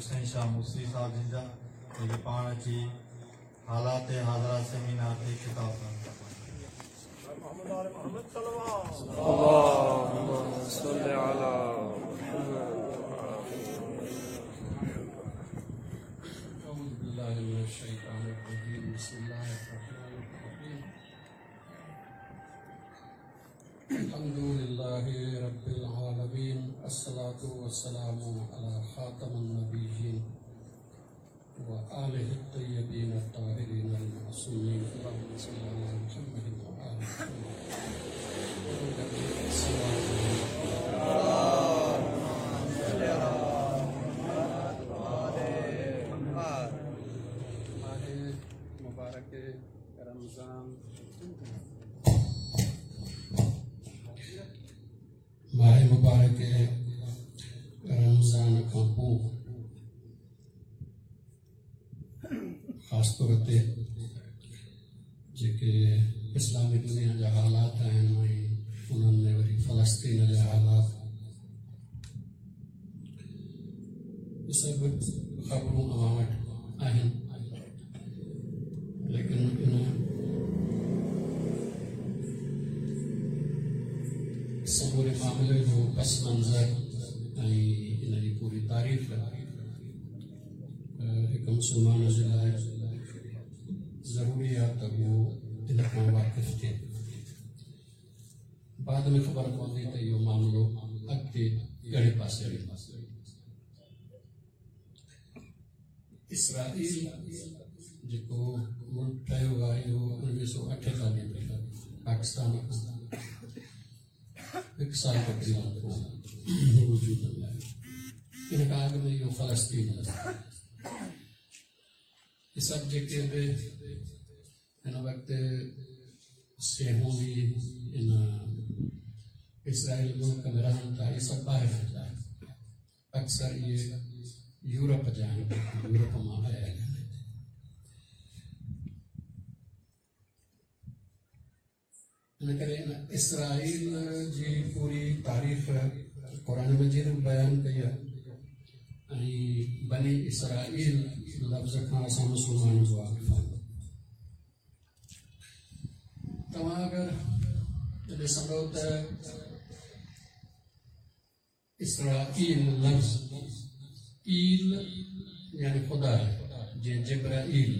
حسين شاهه موسوي صاحب جن جا، جيڪي پاڻ اچي حالات حاضره سيمينار تي خطاب ڪندا. اللهم صل على محمد. أعوذ بالله من الشيطان الرجيم. بسم الله الرحمن الرحيم. الحمد لله رب العالمين، الصلاة والسلام على خاتم النبيين وآله الطيبين الطاهرين المعصومين. اللهم صل على محمد وآل محمد. मुबारक रमज़ान, माह मुबारक रमज़ान खां पोइ ख़ासि तौर ते जेके इस्लामी दुनिया जा हालात आहिनि ऐं उन्हनि में वरी फ़लस्तीन जा हालात, सभु ख़बरूं अव्हां वटि आहिनि। लेकिन इन समूरे मामले जो पस मंज़र ऐं इन जी पूरी तारीफ़ हिकु मुस्लमान जे लाइ ज़रूरी आहे त उहो इन खां वाक़िफ़ थिए। बाद में ख़बर पवंदी त इहो मामिलो अॻिते कहिड़े पासे वेंदो। इसराईल जेको मुल्क ठहियो आहे इहो 1948 में पाकिस्तान हिकु साल तक़रीबन पोइ वजूद में आयो। इन खां अॻु में इहो फ़लस्तीन हे। सभु जेके बि हिन वक़्तु सेहूनी इन इसराईल मुल्क में रहनि था, इहे सभु ॿाहिरि जा आहिनि। अक्सर इहे यूरोप जा आहिनि, यूरोप मां आया आहिनि। इन करे इसराईल जी पूरी तारीफ़ क़ुर मजीद में बयानु कई आहे ऐं बनी इसराईल लफ़्ज़ खां असां मुस्लमान जो वाक़िफ़ आहियूं। तव्हां अगरि ॾिसंदव त इसराईल लफ़्ज़ ईल यानी ख़ुदा आहे, जीअं जिब्राईल,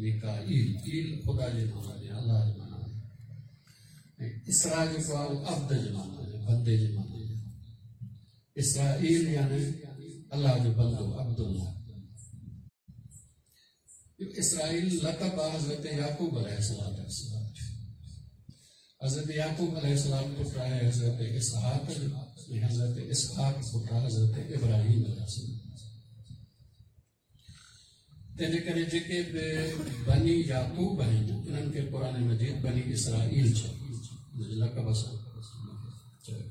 मीकाईल, ईल ख़ुदा जे माना में, अल्लाह जे माना में। इसरा जेको आहे उहो अब्द जे माना में, बंदे जे माना में। इसराईल यानी अल्लाह जो बंदो, अब्दुल्लाह। इसराईल लक़ब आहे हज़रत याकूब अलैहिस्सलाम। हज़रत याकूब अलैहिस्सलाम पुट आहे हज़रत इसहाक जो, ऐं हज़रत इसहाक पुट आहे हज़रत इब्राहिम अलैहिस्सलाम। तंहिंजे करे जेके बि बनी याकूब आहिनि उन्हनि खे क़ुर मजीद बनी इसराईल चयो, लक़ब सां चयो।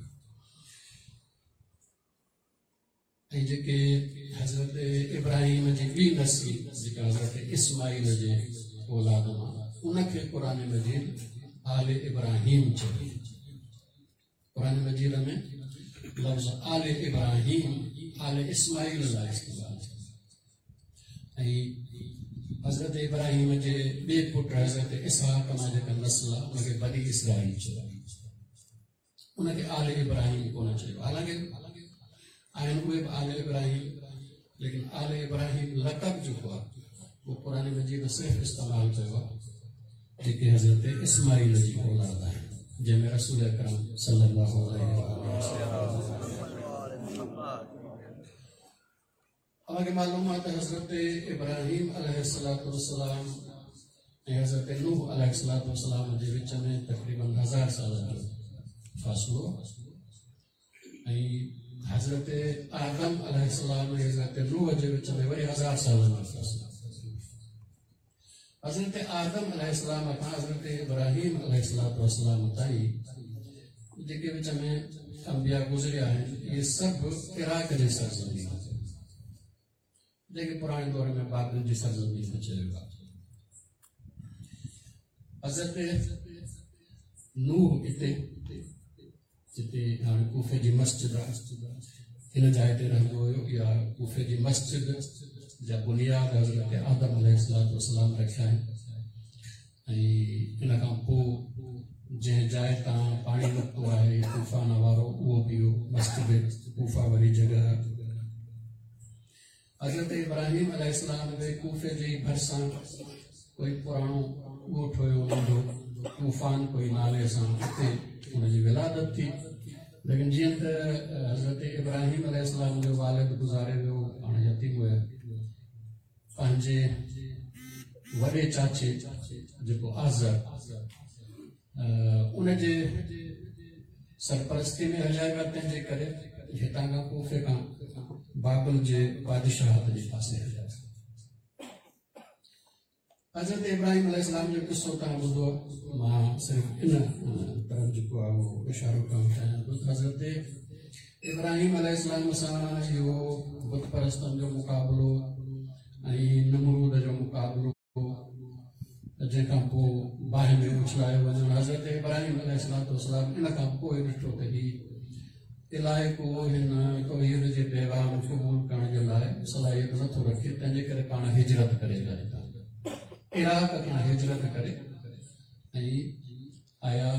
ऐं जेके हज़रत इब्राहिम जी ॿी नस्ल जेका हज़रत इस्माईल जे औलाद मां, उनखे क़ुर मजीद आल इब्राहिम चयो। क़ुर मजीद में लफ़्ज़ आल इब्राहिम आल इस्माईल लाइ इस्तेमालु थियो। ऐं हज़रत इब्राहिम जे ॿिए पुट हज़रत इसहाक मां जेका नस्ल आहे उनखे बनी इसराईल चयो, उनखे आल इब्राहिम कोन चयो। हालांकि आहिनि उहे बि आल इब्राहिम, लेकिन आल इब्राहिम लक़ब जेको आहे उहो क़ुर मजीद सिर्फ़ु इस्तेमालु कयो आहे जेके हज़रत इस्माईल जी औलाद आहिनि, जंहिंमें रसूल अकरम सल्लल्लाहु अलैहि वसल्लम। अव्हांखे मालूम आहे त हज़रत इब्राहिम अलैहिस्सलाम ऐं हज़रत नूह अलैहिस्सलाम जे विच में तक़रीबन 1000 सालनि जो फ़ासिलो ऐं हज़रत आदम अलैहिस्सलाम ऐं हज़रत नूह जे विच में वरी 1000 सालनि जो फ़ासिलो। हज़रत आदम अलैहिस्सलाम खां हज़रत इब्राहिम अलैहिस्सलाम ताईं जेके विच में अंबिया गुज़रिया आहिनि, इहे सभु इराक जे सरज़मीन, जेके पुराणे दौर में बाबिल जी सरज़मीन में चयो आहे। हज़रत नूह इते जिते हाणे कूफे जी मस्जिद आहे, هن جاء تي رهندو هيو. اها ڪوفي جي مسجد جا بنياد حضرت آدم عليه الصلوة والسلام رکيا آهن ۽ ان کان پوء جنهن جاء تان پاڻي نڪتو آهي طوفان وارو، اهو به اهو مسجد ڪوفه واري جڳهه. حضرت ابراهيم عليه السلام به ڪوفي جي ڀرسان ڪوئي پراڻو ڳوٺ هيو ننڍو، طوفان ڪوئي نالي سان، اتي ان جي ولادت ٿي. ليڪن جيئن ته حضرت ابراهيم عليه السلام جو والد گذاري ويو، پاڻ يتيم هيا، پنهنجي وڏي چاچي جيڪو آزر ان جي سرپرستي ۾ هليا ويا. تنهن جي ڪري هتان کان ڪوفي کان بابل جي بادشاهت جي پاسي هليا ويا. حضرت ابراهيم عليه السلام جو قصو توهان ٻڌو، مان صرف ان طرف جيڪو آهي اهو اشارو ڪرڻ چاهيان ٿو ته حضرت ابراهيم عليه السلام سان اهو بت پرستن جو مقابلو ۽ نمرود جو مقابلو، جنهن کان پوء باهه ۾ اڇلايو وڃڻ. حضرت ابراهيم عليه السلام ان کان پوء ڏٺو ته هي علائقو هن توحيد جي پيغام قبول ڪرڻ جي لاء صلاحيت نٿو رکي، تنهن جي ڪري پاڻ هجرت ڪري ويا. هتان عراق کان هجرت ڪري ۽ آيا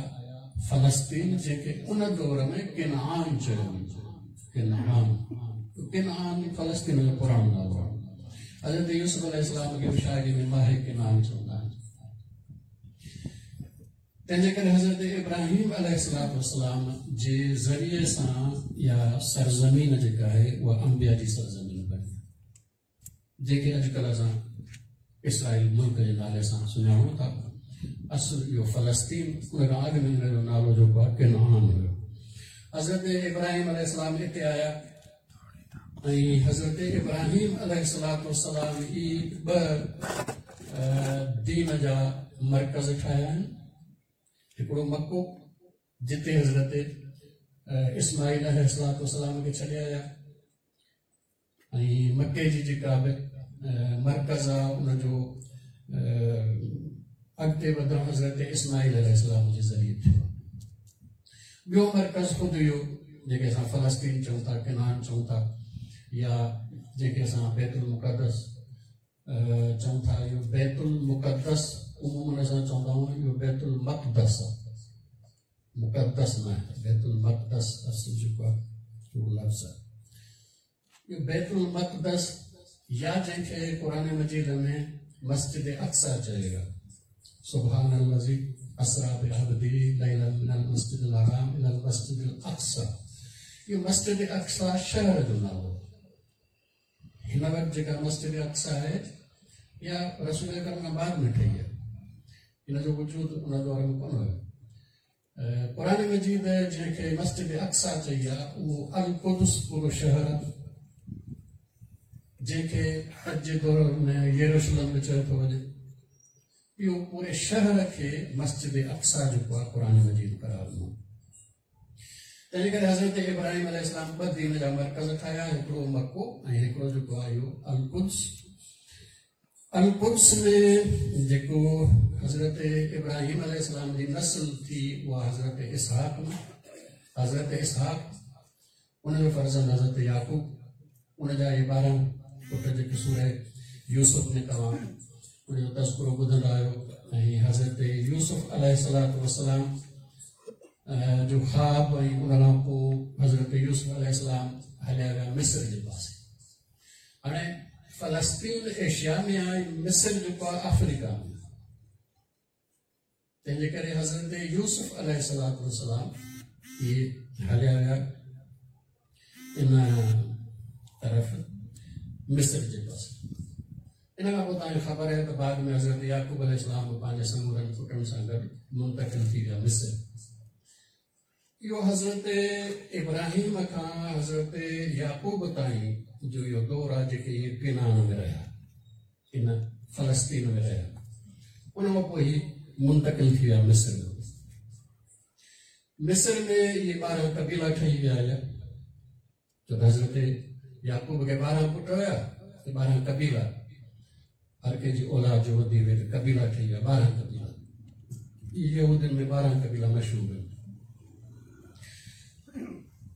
فلسطين، جنهن کي ان دور ۾ ڪنعان چيو ويندو. ڪنعان، ڪنعان فلسطين جو پراڻو نالو آهي. حضرت يوسف عليه السلام کي به شاعري ۾ ماهي ڪنعان چوندا آهن. تنهن جي ڪري حضرت ابراهيم عليه السلام جي ذريعي سان اها سرزمين جيڪا آهي اها انبياء جي سرزمين بڻي، جيڪي اڄڪلهه اسان اسرائيل ملڪ جي نالي سان سڃاڻون ٿا. اصل اهو فلسطين، ان کان اڳ ۾ ان جو نالو جيڪو آهي ڪنعان هيو. حضرت ابراهيم عليه السلام هتي آيا ۽ حضرت ابراهيم عليه السلام ئي ٻه دين جا مرڪز ٺاهيا آهن. هڪڙو مڪو، جتي حضرت اسماعيل عليه السلام کي ڇڏي آيا، ۽ مڪي جي جيڪا به مرڪز آهي ان جو اڳتي وڌڻ حضرت اسماعيل عليه السلام جي ذريعي ٿيو. ٻيو مرڪز خود اهو جيڪي اسان فلسطين چئون ٿا، ڪنعان چئون ٿا، يا جيڪي اسان بيت المقدس چئون ٿا. اهو بيت المقدس عموماً اسان چوندا آهيون، اهو بيت المقدس آهي، مقدس نه آهي. بيت المقدس اصل جيڪو آهي اهو لفظ آهي. اهو بيت المقدس يا جنهن کي قرآن مجيد ۾ مسجد اقصيٰ چيو ويو آهي، سبحان الذي اسرا بعبده ليلا من المسجد الحرام الى المسجد الاقصى. اهو مسجد اقصيٰ شهر جو نالو آهي. هن وقت جيڪا مسجد اقصيٰ آهي اها رسول اڪرم کان بعد ۾ ٺهي آهي، ان جو وجود ان دور ۾ ڪونه هيو. قرآن مجيد جنهن کي مسجد اقصيٰ چئي آهي اهو القدس پورو شهر آهي، جنهن کي اڄ جي دور ۾ يروشلم به چيو ٿو وڃي. اهو پوري شهر کي مسجد اقصيٰ جيڪو آهي قرآن مجيد قرار ڏنو. تنهن ڪري حضرت ابراهيم عليه السلام ٻه دين جا مرڪز ٺاهيا، هڪڙو مڪو ۽ هڪڙو جيڪو آهي اهو القدس. القدس ۾ جيڪو حضرت ابراهيم عليه السلام جي نسل ٿي اها حضرت اسحاق مان، حضرت اسحاق ان جو فرزند حضرت يعقوب، ان جا اهي 12 پٽ جيڪي سوره يوسف ۾ توهان ان جو تذڪرو ٻڌندا آهيو. ۽ حضرت يوسف عليه السلام جو خواب ۽ ان کان پوء حضرت يوسف عليه السلام هليا ويا مصر جي پاسي. هاڻي فلسطين ايشيا ۾ آهي، مصر جيڪو آهي آفريڪا ۾ آهي. تنهن جي ڪري حضرت يوسف عليه السلام اهي هليا ويا ان طرف مصر جي پاسي. ان کان پوء توهان کي خبر آهي ته بعد ۾ حضرت يعقوب عليه السلام به پنهنجي سمورن پٽن سان گڏ منتقل ٿي ويا مصر. اهو حضرت ابراهيم کان حضرت يعقوب تائين جو اهو دور آهي جيڪي اهي ڪنعان ۾ رهيا، ان فلسطين ۾ رهيا. ان کان پوء هي منتقل ٿي ويا مصر ۾. مصر ۾ اهي 12 قبيلا ٺهي ويا هيا، ڇو ته حضرت يعقوب کي 12 پٽ هيا ته 12 قبيلا، هر ڪنهن جي اولاد جو وڌي وئي ته قبيلا ٺهي ويا 12 قبيلا. اهي يهودين ۾ 12 قبيلا مشهور آهن.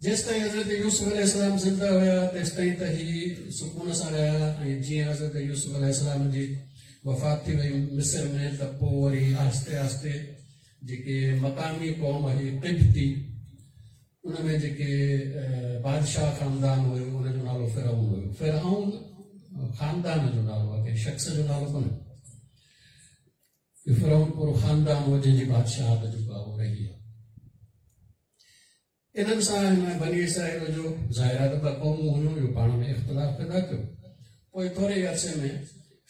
جيستائين حضرت يوسف عليه السلام زنده هيا تيستائين ته هي سڪون سان رهيا ۽ جيئن حضرت يوسف عليه السلام جي وفات ٿي وئي مصر ۾ ته پوء وري آهستي آهستي جيڪي مقامي قوم هئي قبطي ان ۾ جيڪي بادشاهه خاندان هيو ان جو نالو فرعون هيو. فرعون خاندان جو نالو آهي، ڪنهن شخص جو نالو ڪونهي. فرعون پورو خاندان هو جنهن جي بادشاهت جيڪو آهي اهو رهي آهي. انهن سان هن بني اسرائيل جو ظاهر آهي ته ٻه قومون هيون، اهو پاڻ ۾ اختلاف پيدا ٿيو. پوء ٿوري عرصي ۾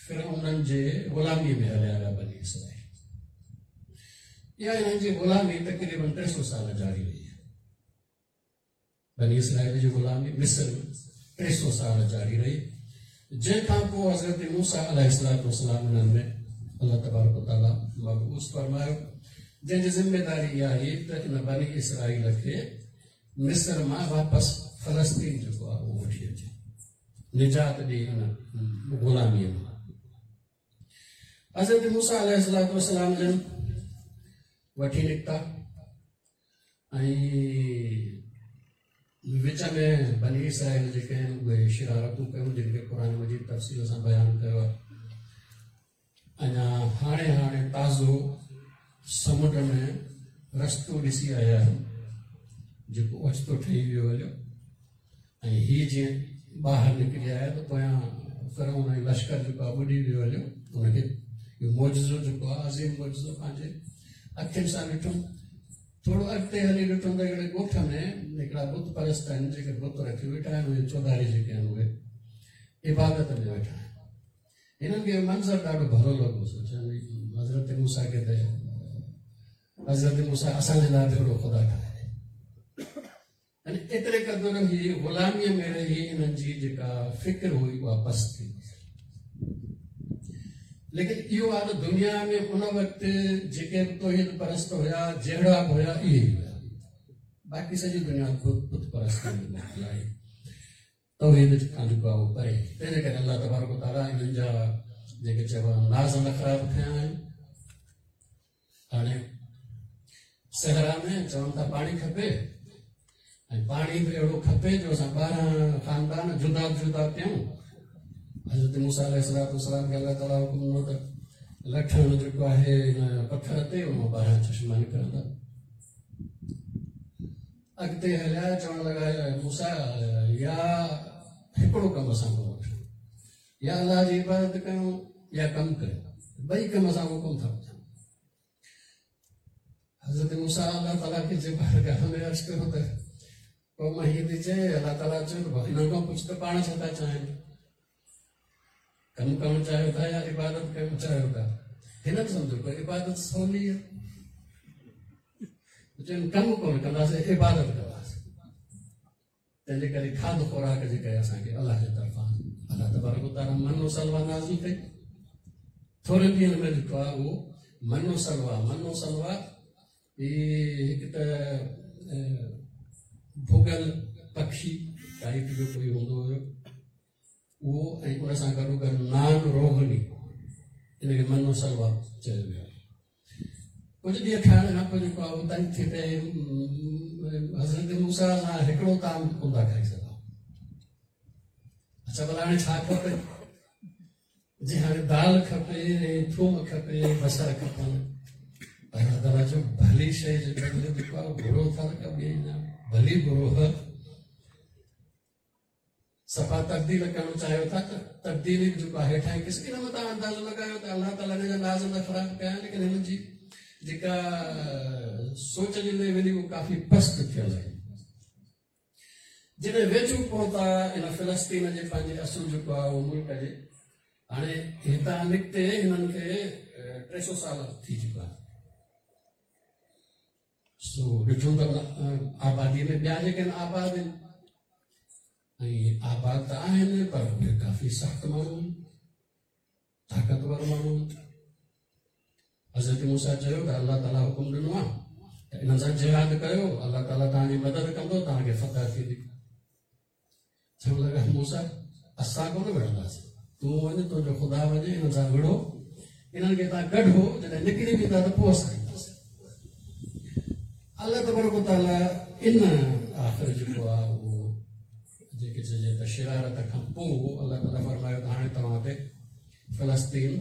فرعونن جي غلاميء ۾ هليا ويا بني اسرائيل. اها انهن جي غلامي تقريبن 300 سال جاري رهي. بني اسرائيل جي غلامي مصر ۾ 300 سال جاري رهي، جنهن کان پوء حضرت موسيٰ عليه الصلوة والسلام انهن ۾ الله تبارڪ وتعاليٰ مبعوث فرمايو، جنهن جي ذميداري اها هئي ته ان بني اسرائيل کي مصر مان واپس فلسطين جيڪو آهي اهو وٺي اچي، نجات ڏئي ان غلاميء مان. حضرت موسيٰ عليه الصلوة والسلام جن وٺي نڪتا ۽ وچ ۾ بني اسرائيل جيڪي آهن اهي شرارتون ڪيون، جن کي قرآن مجيد تفصيل سان بيان ڪيو آهي. اڃا هاڻي هاڻي تازو سمنڊ ۾ رستو ڏسي آيا آهن جيڪو اوچتو ٺهي ويو هليو، ۽ هي جيئن ٻاهر نڪري آيا ته پويان فرعون ۽ لشڪر جيڪو آهي ٻڏي ويو هليو. ان کي اهو معجزو جيڪو آهي عظيم معجزو پنهنجي اکين سان ڏٺو. ٿورو اڳتي هلي ڏٺو ته هڪڙي ڳوٺ ۾ هڪڙا بت پرست آهن جيڪي بت رکي ويٺا آهن، اهي چوڌاري جيڪي آهن اهي عبادت ۾ ويٺا آهن. هنن کي منظر ڏاڍو ڀلو لڳو. سوچيائين حضرت موسيٰ کي ته حضرت موسيٰ اسان جي لاء به اهڙو خدا ٺاهي. يعني ايتري قدر هي غلاميء ۾ رهي انهن جي جيڪا فڪر هئي اها بس ٿي وئي. ليڪن اهو آهي ته دنيا ۾ ان وقت جيڪي به توحيد پرست هيا جهڙا به هيا اهي ئي هيا، باقي سڄي دنيا بت پرست ۾ مبتلا هئي، توحيد کان جيڪو آهي اهو پري. تنهن جي ڪري الله تبارڪ وتعاليٰ انهن جا جيڪي چئبو آهي ناز نخرا به کنيا آهن. هاڻي صحرا ۾ چون ٿا پاڻي کپي، ۽ پاڻي به اهڙو کپي جو اسان 12 خاندان جدا جدا پيون. حضرت موسيٰ عليه الصلوة والسلام کي الله تعاليٰ حڪم ڏنو ته لٺ هڻ جيڪو آهي هن پٿر تي، ان مان 12 چشما نڪرندا. اڳتي هليا، چوڻ لڳا موسيٰ يا هڪڙو ڪم اسان کان وٺو، يا الله جي عبادت ڪيون يا ڪم ڪيون، ٻئي ڪم اسان کان ڪونه ٿا وٺن. حضرت موسيٰ الله تعاليٰ کي جي بارگاهه ۾ عرض ڪيو ته قوم هيئن ٿي چئي. الله تعاليٰ چيو ته هنن کان پڇ ته پاڻ ڇا ٿا چاهين، ڪم ڪرڻ چاهيو ٿا يا عبادت ڪرڻ چاهيو ٿا؟ هنن سمجهيو ته عبادت سولي آهي، چون ڪم ڪونه ڪنداسين، عبادت ڪنداسين. تنهنجي ڪري کاڌ خوراڪ جي ڪري اسان کي الله جي طرفان الله تبارڪ وتعاليٰ من و سلويٰ نازل ڪئي. ٿورن ڏينهن ۾ جيڪو آهي اهو من و سلويٰ، من و سلويٰ هي هڪ ته ڀڳل پکي ٽائيپ جو ڪوئي هوندو هيو اهو، ۽ ان سان گڏو گڏ نان روغني، ان کي من و سلويٰ چيو ويو آهي. ڪجهه ڏينهن کائڻ کان پوء جيڪو آهي اهو تنگ ٿي پئي. حضرت موسيٰ سان هڪڙو طعام ڪونه ٿا کائي سگهون. اڇا ڀلا هاڻي ڇا کپي؟ جي هاڻي دال کپي ۽ ٿوم کپي، بصر کپن. الله تعاليٰ جو ڀلي شيء جي بدلي جيڪو آهي برو ٿا ته ٻئي نه ڀلي برو هه صفا تبديل ڪرڻ چاهيو ٿا ته تبديلي به جيڪو آهي هيٺان قسم. ان مان توهان اندازو لڳايو ته الله تعاليٰ هن جا ناز نخرا به ڪيا، ليڪن هن جي جيڪا سوچ جي ليول هئي اهو ڪافي پست ٿيل هئي. جڏهن ويجهو پهتا ان فلسطين جي پنهنجي اصل جيڪو آهي اهو ملڪ جي، هاڻي هتان نڪتي هنن کي 300 سال ٿي چڪا. سو ڏٺو ته آباديء ۾ ٻيا جيڪي آهن آباد آهن، ۽ آباد ته آهن پر اهي ڪافي سخت ماڻهو آهن، طاقتور ماڻهو آهن. حضرت موسيٰ چيو ته الله تعاليٰ حڪم ڏنو آهي ته انهن سان جهاد ڪيو، الله تعاليٰ توهان جي مدد ڪندو، توهان کي فتح ٿيندي. چوڻ لڳا موسيٰ اسان ڪونه وڙهنداسين، تون وڃ، تنهنجو خدا وڃي انهن سان وڙهو، انهن کي توهان ڪڍو، جڏهن نڪري ويندا ته پوء اسان اينداسين. الله تبارڪ وتعاليٰ ان آخر جيڪو آهي اهو جيڪي چئجي ته شرارت کان پوء الله تعاليٰ فرمايو ته هاڻي توهان تي فلسطين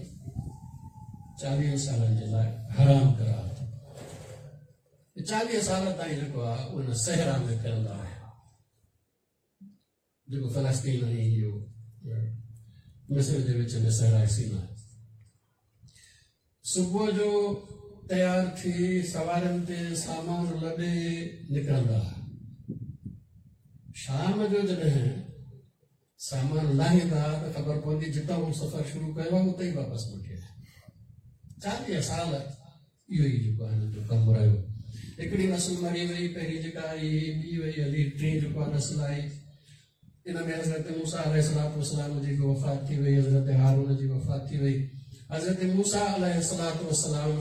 40 سالن جي لاء حرام قرار ٿيو. 40 سال تائين جيڪو آهي ان صحرا ۾ ڦرندا آهن، جيڪو فلسطين ۽ اهو مصر جي وچ ۾ صحرا سينا. صبح جو تيار ٿي سوارين تي سامان لڏي نڪرندا، شام جو جڏهن سامان لاهيندا ته خبر پوندي جتان هو سفر شروع ڪيو آهي اتي ئي واپس موٽي آيا. 40 سال اهو ئي جيڪو آهي هنن جو ڪم رهيو. هڪڙي نسل مري وئي، پهرين جيڪا آئي ٻي وئي هلي، ٽين جيڪو آهي نسل آئي، ان ۾ حضرت موسيٰ عليه الصلوة والسلام جي به وفات ٿي وئي، حضرت هارون جي وفات ٿي وئي. حضرت موسيٰ عليه الصلوة والسلام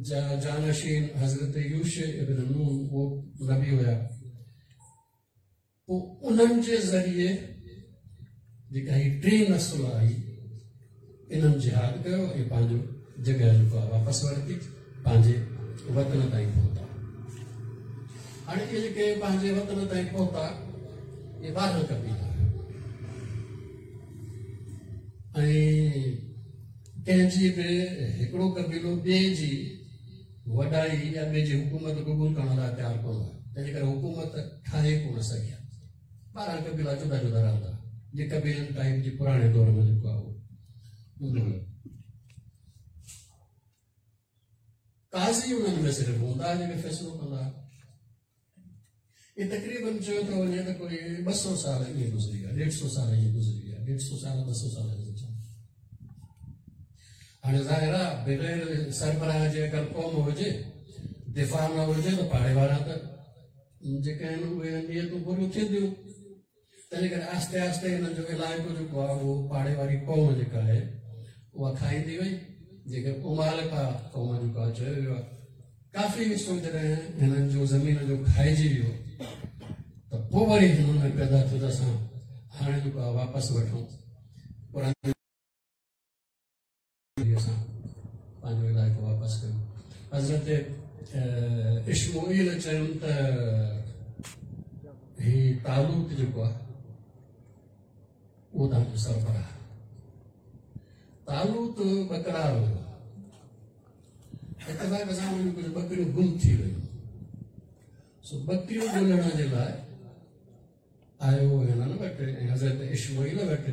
جا جانشين حضرت يوشع ابن نون اهو نبي هيا. پوء انهن جي ذريعي جيڪا هي ٽين نسل آئي انهن جهاد ڪيو ۽ پنهنجو جڳهه جيڪو آهي واپس ورتي، پنهنجي وطن تائين پهتا. هاڻي اهي جيڪي پنهنجي وطن تائين پهتا اهي 12 قبيلا ۽ ڪنهن جي به هڪڙو قبيلو ٻئي جي وڏائي يا ٻئي جي حڪومت قبول ڪرڻ لاء تيار ڪونه هو، تنهنجي ڪري حڪومت ٺاهي ڪونه سگهيا. 12 قبيلا جدا جدا رهندا، جي قبيلن ٽائيپ جي پراڻي دور ۾ جيڪو آهي هوندو هيو. قاضي انهن ۾ صرف هوندا جيڪي فيصلو ڪندا. اهي تقريبن چيو ٿو وڃي ته ڪوئي 200 سال ائين گذري ويا، 150 سال ائين گذري ويا، 150 سال 200 سال ائين گذري ويا. هاڻي ظاهر آهي بغير سربراهه جي اگر قوم هجي، دفاع نه هجي ته پاڙي وارا ته جيڪي آهن اهي نيتون بريون ٿينديون. تنهن ڪري آهستي آهستي هنن جو علائقو جيڪو آهي اهو پاڙي واري قوم جيڪا آهي اها کائيندي وئي، جيڪي امالڪا قوم جيڪو آهي چيو ويو آهي. ڪافي حصو جڏهن هنن جو زمين جو کائجي ويو ته پوء وري هنن ۾ پيدا ٿيو ته اسان هاڻي جيڪو آهي واپس وٺون، پراڻي اسان پنهنجو علائقو واپس ڪيون. حضرت اشمعيل چيم ته هي طالوت جيڪو آهي اهو توهان جو سربراهه. طالوت ٻڪرار هيو. اتفاق سان ان جون ڪجهه ٻڪريون گم ٿي ويون، سو ٻڪريون ڳولڻ جي لاء آيو هنن وٽ ۽ حضرت اشمعيل وٽ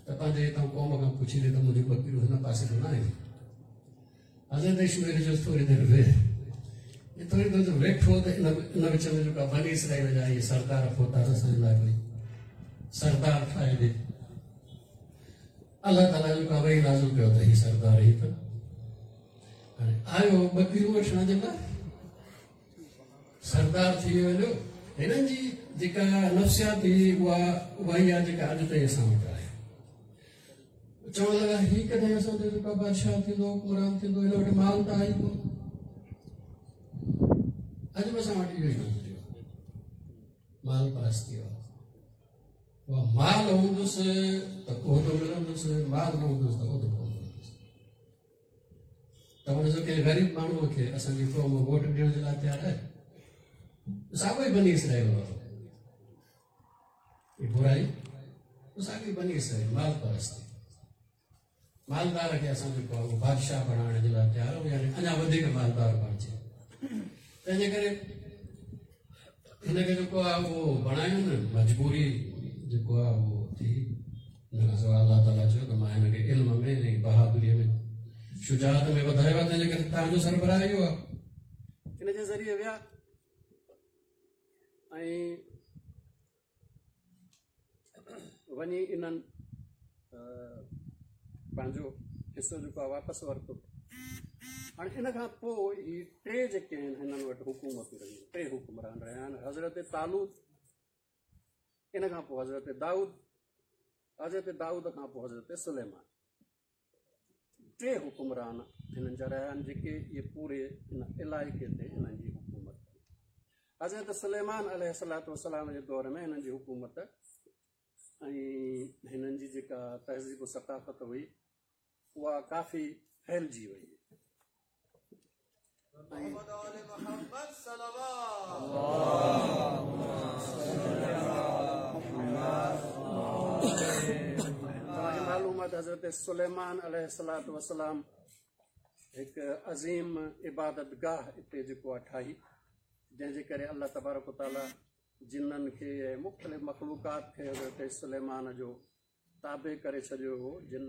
ته پنهنجي هتان قوم کان پڇي ڏي ته منهنجون ٻڪريون هن پاسي ته نه آهن. حضرت اشمعيل چيس ٿوري دير ويهه. هي ٿوري دير ويٺو ته ان وچ ۾ جيڪا بني اسرائيل جا اهي سردار پهتا ته اسان جي لاء ڪوئي سردار ٺاهي ڏي. الله تعاليٰ جيڪو وحي نازل ڪيو ته هي سردار هي ته هاڻي آيو ٻڪريون وٺڻ جي لاء سردار ٿي ويو. هنن جي جيڪا نفسيات هئي اها اها ئي آهي جيڪا اڄ تائين اسان وٽ آهي. چوڻ لڳا هي ڪڏهن اسان جو جيڪو بادشاهه ٿيندو، حڪمران ٿيندو، هن وٽ مال ته آهي ڪونه. اڄ به اسان وٽ اهو ئي نظريو آهي، مال پرستي وارو. اها مال هوندس ته عهدو ملندس، مال نه هوندس ته عهدو ڪونه ملندس. توهان ڏسو ڪنهن غريب ماڻهوء کي اسان جي قوم ووٽ ڏيڻ جي لاء تيار آهي؟ ساڳيو ئي بني اسرائيل وارو هي برائي، ساڳي بني اسرائيل مال پرستي. مالدار کي اسان جيڪو آهي اهو بادشاهه بڻائڻ جي لاء تيار آهيون، يعني اڃا وڌيڪ مالدار بڻجي. تنهنجي ڪري هن کي جيڪو آهي اهو بڻايو نه، مجبوري جيڪو آهي اهو ٿي. ان کان سواء الله تعاليٰ چيو ته مان هن کي علم ۾ ۽ بهادريء ۾ شجاعت ۾ وڌايو آهي، تنهنجي ڪري توهان جو سربراهه اهو آهي. ان جي ذريعي ويا ۽ وڃي انهن پنهنجو حصو جيڪو آهي واپس ورتو. هاڻي ان کان پوء هي ٽي جيڪي آهن هنن وٽ حڪومتون رهيون، ٽي حڪمران رهيا آهن، حضرت طالوت، ان کان پوء حضرت دائود، حضرت دائود کان پوء حضرت سليمان. ٽي حڪمران هنن جا رهيا آهن جيڪي اهي پوري ان علائقي تي هنن جي حڪومت ڪئي. حضرت سليمان عليه الصلوة والسلام جي دور ۾ هنن جي حڪومت ۽ هنن جي جيڪا تهذيب و ثقافت هئي اها ڪافي ڦهلجي وئي. محمد آل محمد صلوات. توهان کي معلوم آهي ته حضرت سليمان عليه الصلوة والسلام هڪ عظيم عبادت گاهه اتي جيڪو آهي ٺاهي، جنهن جي ڪري الله تبارڪ وتعاليٰ جنن کي ۽ مختلف مخلوقات کي حضرت سليمان جو تابع ڪري ڇڏيو هو، جن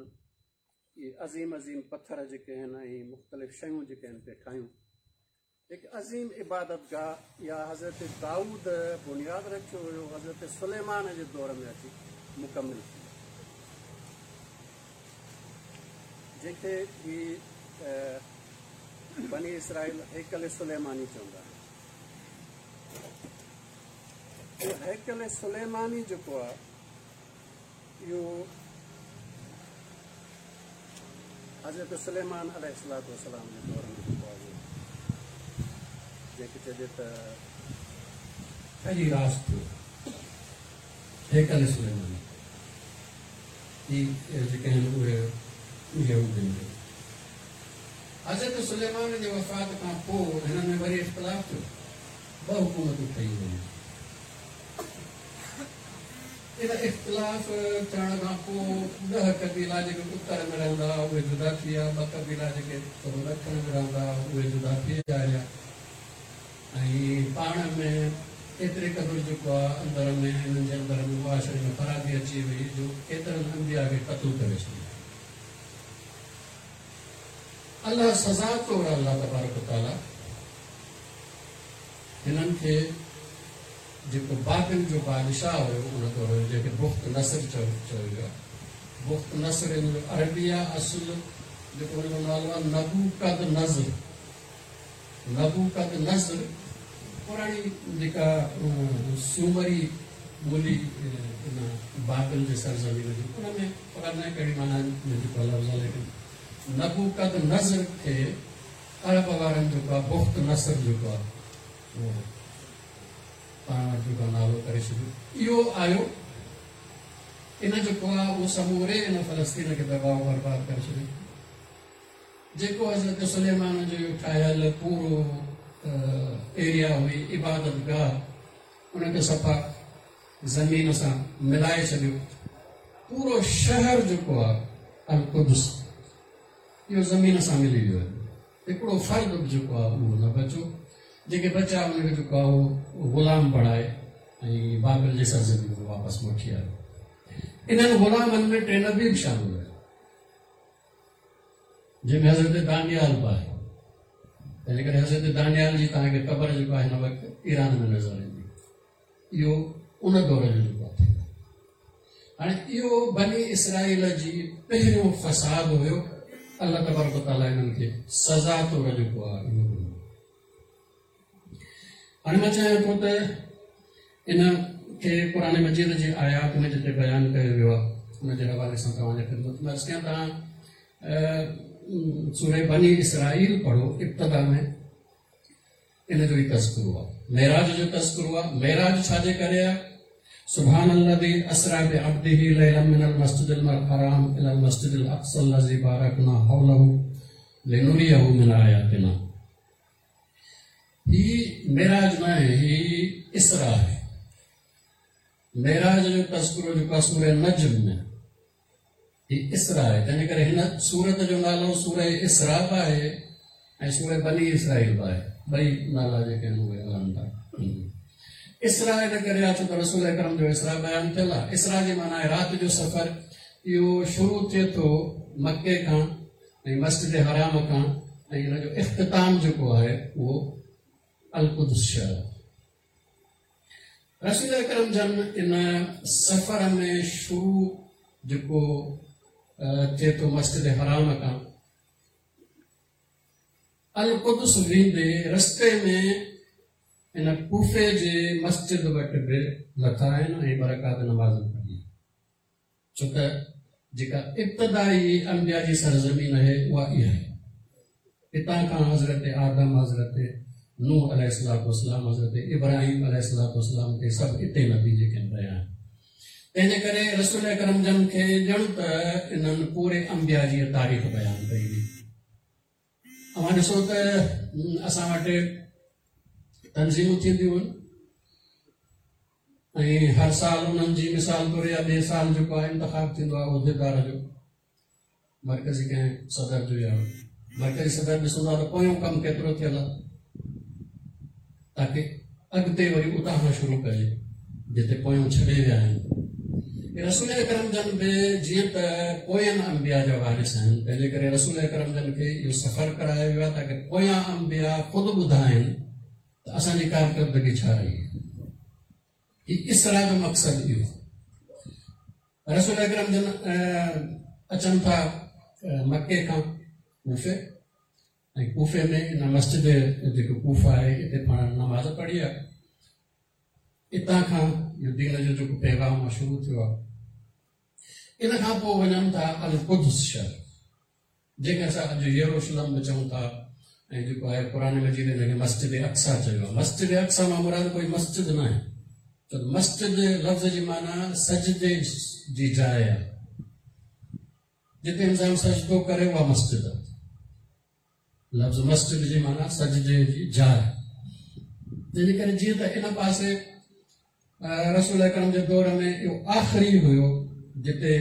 اهي عظيم عظيم پٿر جيڪي آهن ۽ مختلف شيون جيڪي آهن پئي ٺاهيون. هڪ عظيم عبادت گاهه اها حضرت دائود بنياد رکيو هيو، حضرت سليمان جي دور ۾ اچي مڪمل ٿي، جنهن کي هي بني اسرائيل هيڪل سليماني چوندا آهن. اهو هيڪل سليماني جيڪو آهي اهو حضرت سليمان عليه الصلوة والسلام جي دور ۾ جيڪو آهي جنهن کي چئجي ته ٺهي راس ٿيو هيڪل سليماني. هي جيڪي آهن اهي يهودين جو. حضرت سليمان جي وفات کان پوء هنن ۾ وري اختلاف ٿيو، ٻه حڪومتون ٺهي ويون. ان اختلاف ٿيڻ کان پوء 10 قبيلا جيڪي اتر ۾ رهندا هئا اهي جدا ٿي ويا، 2 قبيلا جيڪي ٿورو ڏکڻ ۾ رهندا هئا اهي جدا ٿي ويا هليا ۽ پاڻ ۾ ايتري قدر جيڪو آهي اندر ۾ انهن جي اندر ۾ معاشري ۾ خرابي اچي وئي جو ڪيترن انبياء کي قتل ڪري ڇڏيو. الله سزا طور الله تبارڪ وتعاليٰ هنن کي جيڪو بابل جو بادشاهه هيو ان دور جو، جنهن کي بخت نصر چيو ويو آهي. بخت نصر ان جو عربي آهي، اصل جيڪو ان جو نالو آهي نبوڪد نظر. نبوڪد نظر پراڻي جيڪا سومري ٻولي ان بابل جي سرزمين جي، ان ۾ خبر ناهي ڪهڙي معنيٰ ۾ جيڪو لفظ آهي، ليڪن نبوڪد نظر کي عرب وارن جيڪو آهي بخت نصر جيڪو آهي اهو پاڻ وٽ جيڪو نالو ڪري ڇڏيو. اهو آيو ان جيڪو آهي اهو سموري ان فلسطين کي تباهه و برباد ڪري ڇڏيو. جيڪو حضرت سليمان جو اهو ٺاهيل پورو ايريا هئي عبادت گاهه، ان کي صفا زمين سان ملائي ڇڏيو. پورو شهر جيڪو آهي القدس اهو زمين سان ملي ويو آهي. هڪڙو فرد به جيڪو آهي اهو نه بچو. جيڪي بچا ان کي جيڪو آهي اهو غلام بڻائي ۽ بابل جي سرزمين ۾ واپس وٺي آيو. انهن غلامن ۾ 3 نبي به شامل هيا، جنهن ۾ حضرت دانيال به آهي. تنهن ڪري حضرت دانيال جي توهان کي قبر جيڪو آهي هن وقت ايران ۾ نظر ايندي. اهو ان دور جو جيڪو آهي. هاڻي اهو بني اسرائيل جي پهريون فساد هيو. الله تبارڪ وتعاليٰ انهن کي سزا طور جيڪو آهي اهو ڏنو. هاڻي مان چاهيان ٿو ته ان کي قرآن مجيد جي آيات ۾ جتي بيان ڪيو ويو آهي ان جي حوالي سان توهان جي خدمت ۾ عرض ڪيان. توهان سورة بني اسرائيل پڙهو، ابتدا ۾ ان جو ئي تذڪرو آهي، معراج جو تذڪرو آهي. معراج ڇا جي ڪري آهي؟ سبحان الذي اسرا بعبده ليلا من المسجد الحرام الى المسجد الاقصى الذي باركنا حوله لنريه من آياتنا. هي معراج نه آهي، هي اسرا آهي. معراج جو تذڪرو جيڪو آهي سورة نجم ۾ هي اسرا آهي، تنهن ڪري هن سورت جو نالو سورة اسرا به آهي ۽ سورة بني اسرائيل به آهي. ٻئي نالا جيڪي آهن اهي هلن ٿا. اسرا ان ڪري آهي ڇو ته رسول اڪرم جو اسرا بيان ٿيل آهي. اسرا جي معنيٰ آهي رات جو سفر. اهو شروع ٿئي ٿو مڪي کان ۽ مسجد حرام کان ۽ ان جو اختتام جيڪو آهي اهو القدس شهر. رسول اڪرم جن ان سفر ۾ شروع جيڪو ٿئي ٿو مسجد حرام کان القدس ويندي رستي ۾ ان ڪوفي جي مسجد وٽ به لٿا آهن ۽ ٻه رڪعت نماز به پڙهي، ڇو ته جيڪا ابتدائي انبياء جي سرزمين آهي اها اها آهي. هتان کان حضرت آدم، حضرت نوح عليه الصلوة والسلام، حضرت ابراهيم عليه الصلوة والسلام تي سڀ اتي نبي جيڪي رهيا آهن. تنهن جي ڪري رسول اڪرم جن کي ڄڻ ته انهن پوري انبياء جي تاريخ بيان ڪئي هئي. اوهان ڏسو ته اسان وٽ تنظيمون ٿينديون آهن ۽ هر سال انهن جي مثال طور يا ٻئي سال جيڪو آهي انتخاب ٿيندو آهي عهديدار جو، مرڪزي ڪنهن صدر جو، يا مرڪزي صدر ڏسندو آهي ته پويون ڪم ڪيترو ٿيل آهي تاڪه اڳتي وري اتان کان شروع ڪجي جتي پويون ڇڏي ويا آهن. رسول اڪرم جن به جيئن ته پوين انبياء جا وارث آهن، تنهنجي ڪري رسول اڪرم جن کي اهو سفر ڪرايو ويو آهي تاڪه پويان انبياء خود ٻڌائين ته اسان جي ڪارڪردگي ڇا رهي آهي. هي اسراء جو مقصد اهو آهي. رسول اڪرم جن اچن ٿا مڪي کان ڪوفي، ۽ ڪوفي ۾ ان مسجد جيڪو ڪوفه آهي اتي پاڻ نماز پڙهي آهي. اتان کان اهو دين جو جيڪو پيغام آهي شروع ٿيو آهي. ان کان پوء وڃن ٿا القدس شهر، جنهن کي اسان اڄ يروشلم به چئون ٿا، ۽ جيڪو آهي قرآن مجيد ان کي مسجد اقصيٰ چيو آهي. مسجد اقصيٰ مان مراد ڪوئي مسجد نه آهي، ڇو ته مسجد لفظ جي معنيٰ سجدي جي جاء آهي، جتي انسان سجدو ڪري اها مسجد آهي. لفظ مسجد جي معنيٰ سجدي جي جاء. تنهنجي ڪري جيئن ته ان پاسي رسول اڪرم جي دور ۾ اهو آخري هيو جتي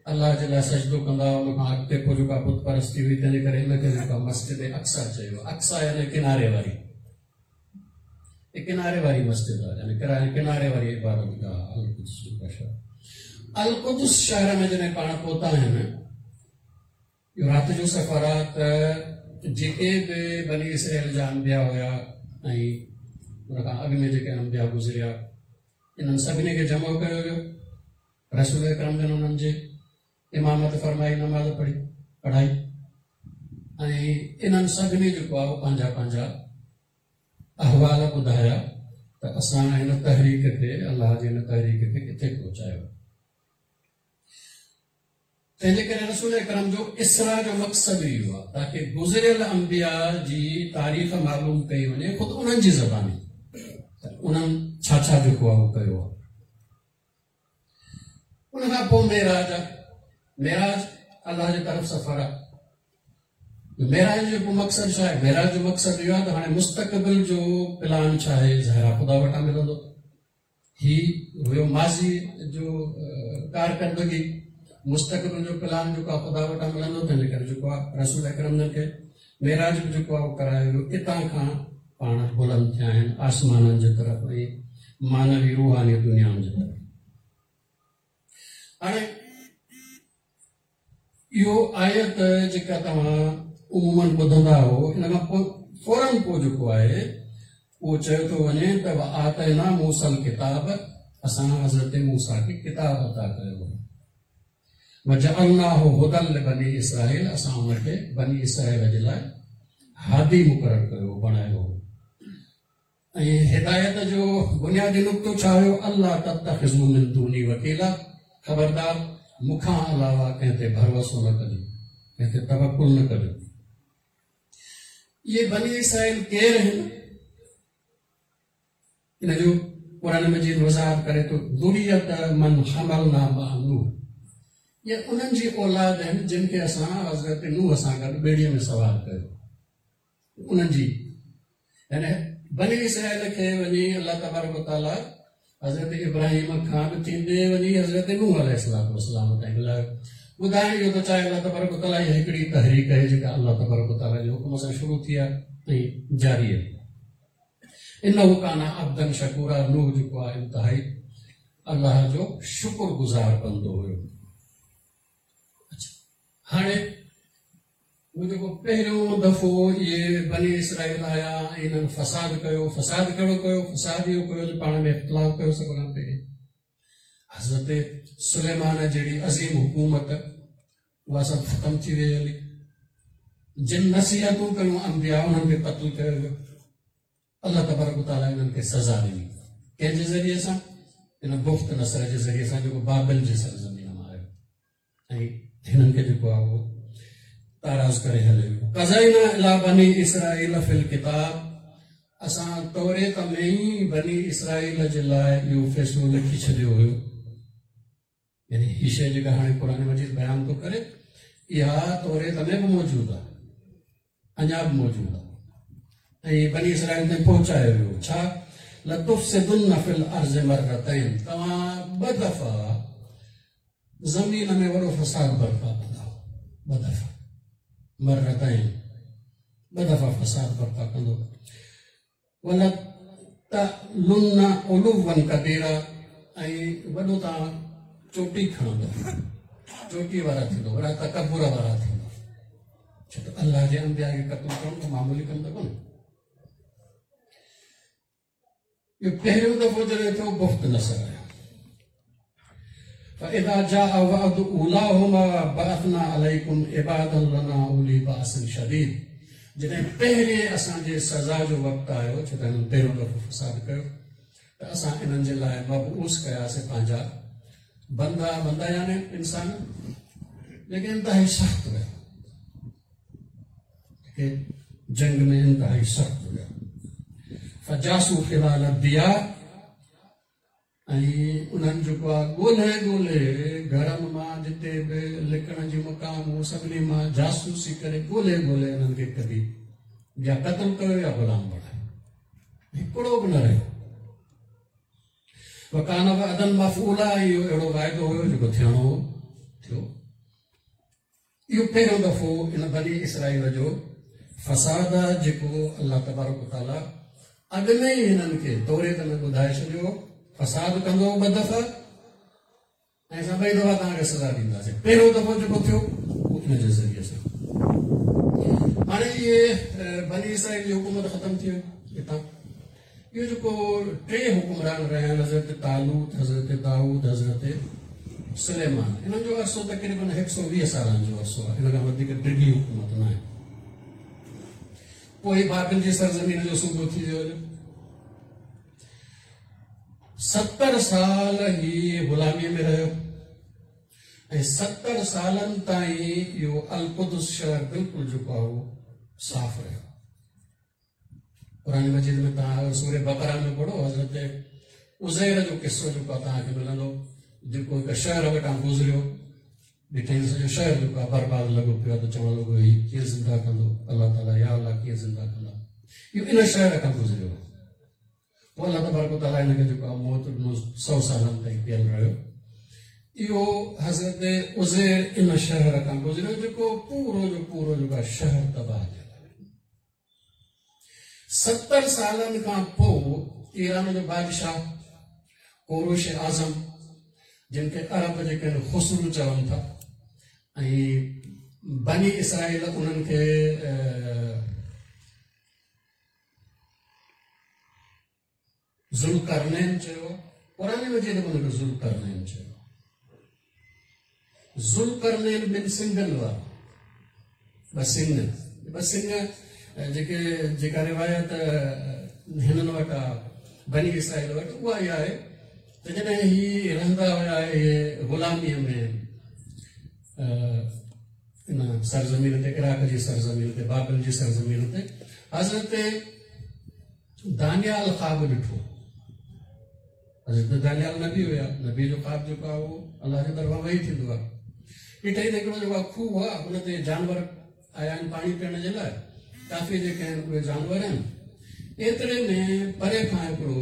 الله جي لاء سجدو ڪندا هئا، ان کان اڳتي پوء جيڪا بت پرستي هئي، تنهنجي ڪري ان کي جيڪا مسجد اقصيٰ چيو. اقصيٰ يعني ڪناري واري، ڪناري واري مسجد آهي، يعني ڪناري واري عبادت گاهه القدس جيڪا شهر. القدس شهر ۾ جڏهن پاڻ پهتا آهن، اهو رات جو سفر آهي، ته جيڪي به بني اسرائيل جا انبياء هيا ۽ ان کان اڳ ۾ جيڪي انبياء گذريا، انهن سڀني کي جمع ڪيو ويو. رسول اڪرم جن انهن جي امامت فرمائي، نماز پڙهي پڙهائي، ۽ انهن سڀني جيڪو آهي پنهنجا پنهنجا احوال ٻڌايا ته اسان هن تحريڪ کي، الله جي هن تحريڪ کي ڪٿي پهچايو. تنهنجي ڪري رسول اڪرم جو اسراء جو مقصد ئي اهو آهي تاڪه گذريل انبياء جي تاريخ معلوم ڪئي وڃي خود انهن جي زباني ته انهن ڇا ڇا جيڪو آهي اهو ڪيو آهي. ان کان پوء معراج آهي. معراج الله جي طرف سفر آهي. معراج جو پوء مقصد ڇا آهي؟ معراج جو مقصد اهو آهي ته هاڻي مستقبل جو پلان ڇا آهي، ظاهر آهي خدا وٽان ملندو. هي هيو ماضي جو ڪارڪردگي، مستقبل جو پلان جيڪو آهي خدا وٽان ملندو. تنهن جي ڪري جيڪو آهي رسول اڪرم جن کي معراج به جيڪو آهي اهو ڪرايو ويو. اتان کان پاڻ بلند ٿيا آهن آسمانن جي طرف ۽ معنوي روحاني دنيائن جي طرف. هاڻي اهو آيت جيڪا توهان عموماً ٻڌندا هو، ان کان پوء فوراً پوء جيڪو آهي اهو چيو ٿو وڃي ته وآتينا موسيٰ الڪتاب، اسان حضرت موسيٰ کي ڪتاب عطا ڪيو هو، وجعلناه هدى لبني اسرائيل، اسان ان کي بني اسرائيل جي لاء هادي مقرر ڪيو بڻايو هو. ۽ هدايت جو بنيادي نقطو ڇا هيو؟ الا تتخذوا من دوني وڪيلا، خبردار مون کان علاوه ڪنهن تي ڀروسو نه ڪجو، ڪنهن تي توڪل نه ڪجو. اهي بني اسرائيل ڪير آهن؟ ان جو قرآن مجيد وضاحت ڪري ٿو، ذريت من حملنا مع نوح، اهي انهن جي اولاد آهن جن کي اسان حضرت نوح سان گڏ ٻيڙيء ۾ سوار ڪيو. انهن جي يعني بني اسرائيل کي وڃي الله تبارڪ وتعاليٰ حضرت ابراهيم کان به ٿيندي وڃي حضرت نوح عليه الصلوة والسلام تائين ملايو. ٻڌائڻ اهو ٿو چاهي الله تبارڪ وتعاليٰ اها هڪڙي تحريڪ آهي جيڪا الله تبارڪ وتعاليٰ جي حڪم سان شروع ٿي آهي ۽ جاري آهي. انه ڪان عبدا شڪورا، نوح جيڪو آهي انتهائي الله جو شڪر گذار بندو هيو. اڇا هاڻي هو جيڪو پهريون دفعو اهي بني اسرائيل آيا ۽ انهن فساد ڪيو، فساد ڪهڙو ڪيو؟ فساد اهو ڪيو جو پاڻ ۾ اختلاف ڪيو. سڀ کان پهرين حضرت سليمان جهڙي عظيم حڪومت اها سڀ ختم ٿي وئي هلي. جن نصيحتون ڪيون انبياء انهن کي قتل ڪيو ويو. الله تبارڪ وتعاليٰ انهن کي سزا ڏني ڪنهن جي ذريعي سان؟ ان بخت نصر جي ذريعي سان جيڪو بابل جي سرزمين مان آيو ۽ هنن کي جيڪو آهي اهو تاراز ڪري هليو ويو. قضينا الي بني اسرائيل في الڪتاب، اسان توريت ۾ ئي بني اسرائيل جي لاء اهو فيصلو لکي ڇڏيو هيو. يعني هي شيء جيڪا هاڻي قرآن مجيد بيان ٿو ڪري اها توريت ۾ به موجود آهي. اڃا به موجود آهي ۽ بني اسرائيل تائين پهچايو ويو ڇا؟ لتفسدن في الارض مرتين توهان ٻه دفعا زمين ۾ وڏو فساد برپا ڪندا ٻه دفعا مرتين ٻه دفعا فساد برپا ڪندو ولتعلن علوا ڪبيرا ۽ وڏو توهان چوٽي کڻندو چوٽي وارا ٿيندو وڏا تڪبر وارا ٿيندو ڇو ته الله جي انبيا کي قتل ڪرڻ ته معمولي ڪم ته ڪونهي اهو پهريون دفعو جڏهن ٿيو بخت نصر آيو فاذا جاء وعد اولاهما بعثنا عليكم عبادا لنا اولي باس شديد جڏهن پهرين اسان جي سزا جو وقت آيو ڇو ته هنن پهريون دفعو فساد ڪيو ته اسان انهن جي لاء مبعوث ڪياسين پنهنجا بندا بندا يعني انسان جيڪي انتهائي سخت هيا جيڪي جنگ ۾ انتهائي سخت هيا فجاسو خلال الديار ۽ انهن جيڪو آهي ڳولهي ڳولهي گهرن مان جتي به لڪڻ جي مقام هو سڀني مان جاسوسي ڪري ڳولهي ڳولهي انهن کي ڪڍي يا قتل ڪيو يا غلام بڻايو هڪڙو به نه رهيو وڪان وعدا مفعولا اهو اهڙو واعدو هيو جيڪو ٿيڻو هو ٿيو اهو پهريون دفعو ان بني اسرائيل جو فساد آهي جيڪو الله تبارڪ وتعاليٰ اڳ ۾ ئي هنن کي توريت ۾ ٻڌائي ڇڏيو هو فساد ڪندو ٻه دفعا ۽ اسان ٻئي دفعا توهان کي سزا ڏينداسين پهريون دفعو جيڪو ٿيو اهو ان جي ذريعي سان هاڻي اهي بني اسرائيل جي حڪومت ختم ٿي وئي هتان اهو جيڪو ٽي حڪمران رهيا آهن حضرت طالوت، حضرت دائود، حضرت سليمان انهن جو عرصو تقريبن هڪ سو ويهه سالن جو عرصو آهي ان کان وڌيڪ ڊگهي حڪومت نه آهي پوء هي بابل جي سرزمين جو صوبو ٿي ويو هليو 70 سال هي غلامي ۾ رهيو ۽ 70 سالن تائين اهو القدس شهر بلڪل جيڪو آهي صاف رهيو قرآن مجيد ۾ توهان سورة بقره ۾ پڙهو حضرت عزير جو قصو جيڪو آهي توهان کي ملندو جيڪو هڪ شهر وٽان گذريو ڏٺائين سڄو شهر جيڪو آهي برباد لڳو پيو آهي ته چوڻ لڳو هي ڪيئن زنده ڪندو الله تعاليٰ يا الله ڪيئن زنده ڪندا اهو ان شهر کان گذريو پوء الله تبارڪ وتعاليٰ هن کي جيڪو آهي موت ڏنو سو سالن تائين پيل رهيو اهو حضرت عزير ان شهر کان گذريو جيڪو پورو جو پورو جيڪو آهي شهر تباهه ٿيل 70 سالن کان پوء ايران جو بادشاهه ڪوروش اعظم جن کي عرب جيڪي آهن خسرو چون ٿا ۽ بني اسرائيل انهن کي ذوالقرنين چيو قرآن مجيد ۾ ان کي ذوالقرنين چيو ذوالقرنين ٻن سنگن وارو ٻه سنگ ٻه سنگ جيڪي جيڪا روايت هنن وٽ آ بني اسرائيل وٽ اها ئي آهي ته جڏهن هي رهندا هيا اهي غلاميء ۾ ان سرزمين تي عراق جي سرزمين تي بابل جي سرزمين تي حضرت دانيال خواب ڏٺو. حضرت دانيال نبي هيا، نبي جو خواب جيڪو آهي اهو الله جي طرفان وحي ٿيندو آهي. ڏٺائين ته هڪڙو جيڪو آهي کوهه آهي، ان تي جانور آيا آهن پاڻي پيئڻ جي لاء، ڪافي جيڪي آهن اهي جانور آهن. ايتري ۾ پري کان هڪڙو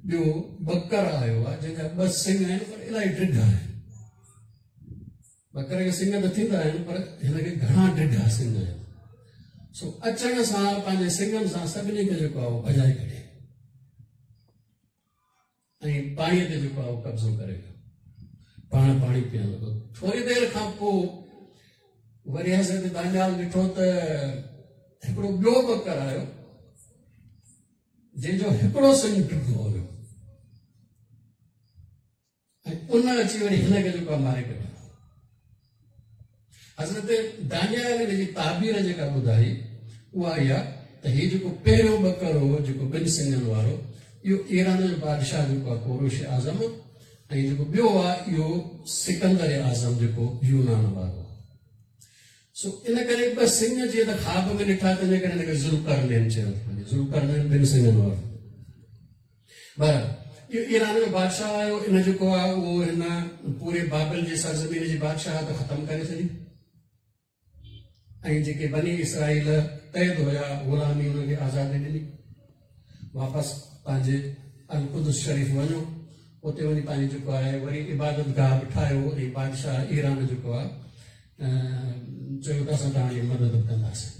ٻيو ٻڪر آيو آهي، جنهن جا ٻه سڱ آهن پر الاهي ڊگها آهن. ٻڪر کي سڱ ته ٿيندا آهن پر هن کي گهڻا ڊگها سڱ آهن سو اچڻ سان پنهنجي سڱن سان سڀني کي جيڪو آهي ڀڄائي ڪڍي ۽ پاڻيء تي جيڪو آهي قبضو ڪري ويو پاڻ پاڻي پيئڻ لڳو ٿوري دير کان پوء وري حضرت دانيال ڏٺو ته هڪڙو ٻيو ٻڪر آيو جنهن جو هڪڙو سڱ ڊگهو هيو ۽ ان اچي وري هن کي جيڪو آهي ماري ڪڍيو. حضرت دانيال ان جي تعبير جيڪا ٻڌائي اها اها ته هي جيڪو پهريون ٻڪر هو جيڪو ٻن سڱن وارو اهو ايران جو بادشاهه جيڪو آهي ڪوروش اعظم ۽ جيڪو ٻيو آهي اهو سڪندر اعظم جيڪو يونان وارو سو ان ڪري ٻه سڱ جيئن ته خواب ۾ ڏٺا تنهن ڪري هن کي ذوالقرنين چيو ٿو وڃي ذوالقرنين ٻن سڱن وارو بهرحال اهو ايران جو بادشاهه آيو ان جيڪو آهي اهو هن پوري بابل جي سرزمين جي بادشاهت ختم ڪري ڇڏي. ۽ جيڪي بني اسرائيل قيد هيا غلامي انهن کي آزادي ڏني. واپس پنهنجي القدس شريف وڃو، اتي وڃي پنهنجي جيڪو آهي وري عبادت گاهه به ٺاهيو ۽ بادشاهه ايران جيڪو آهي چيو ته اسان توهان جي مدد به ڪنداسين.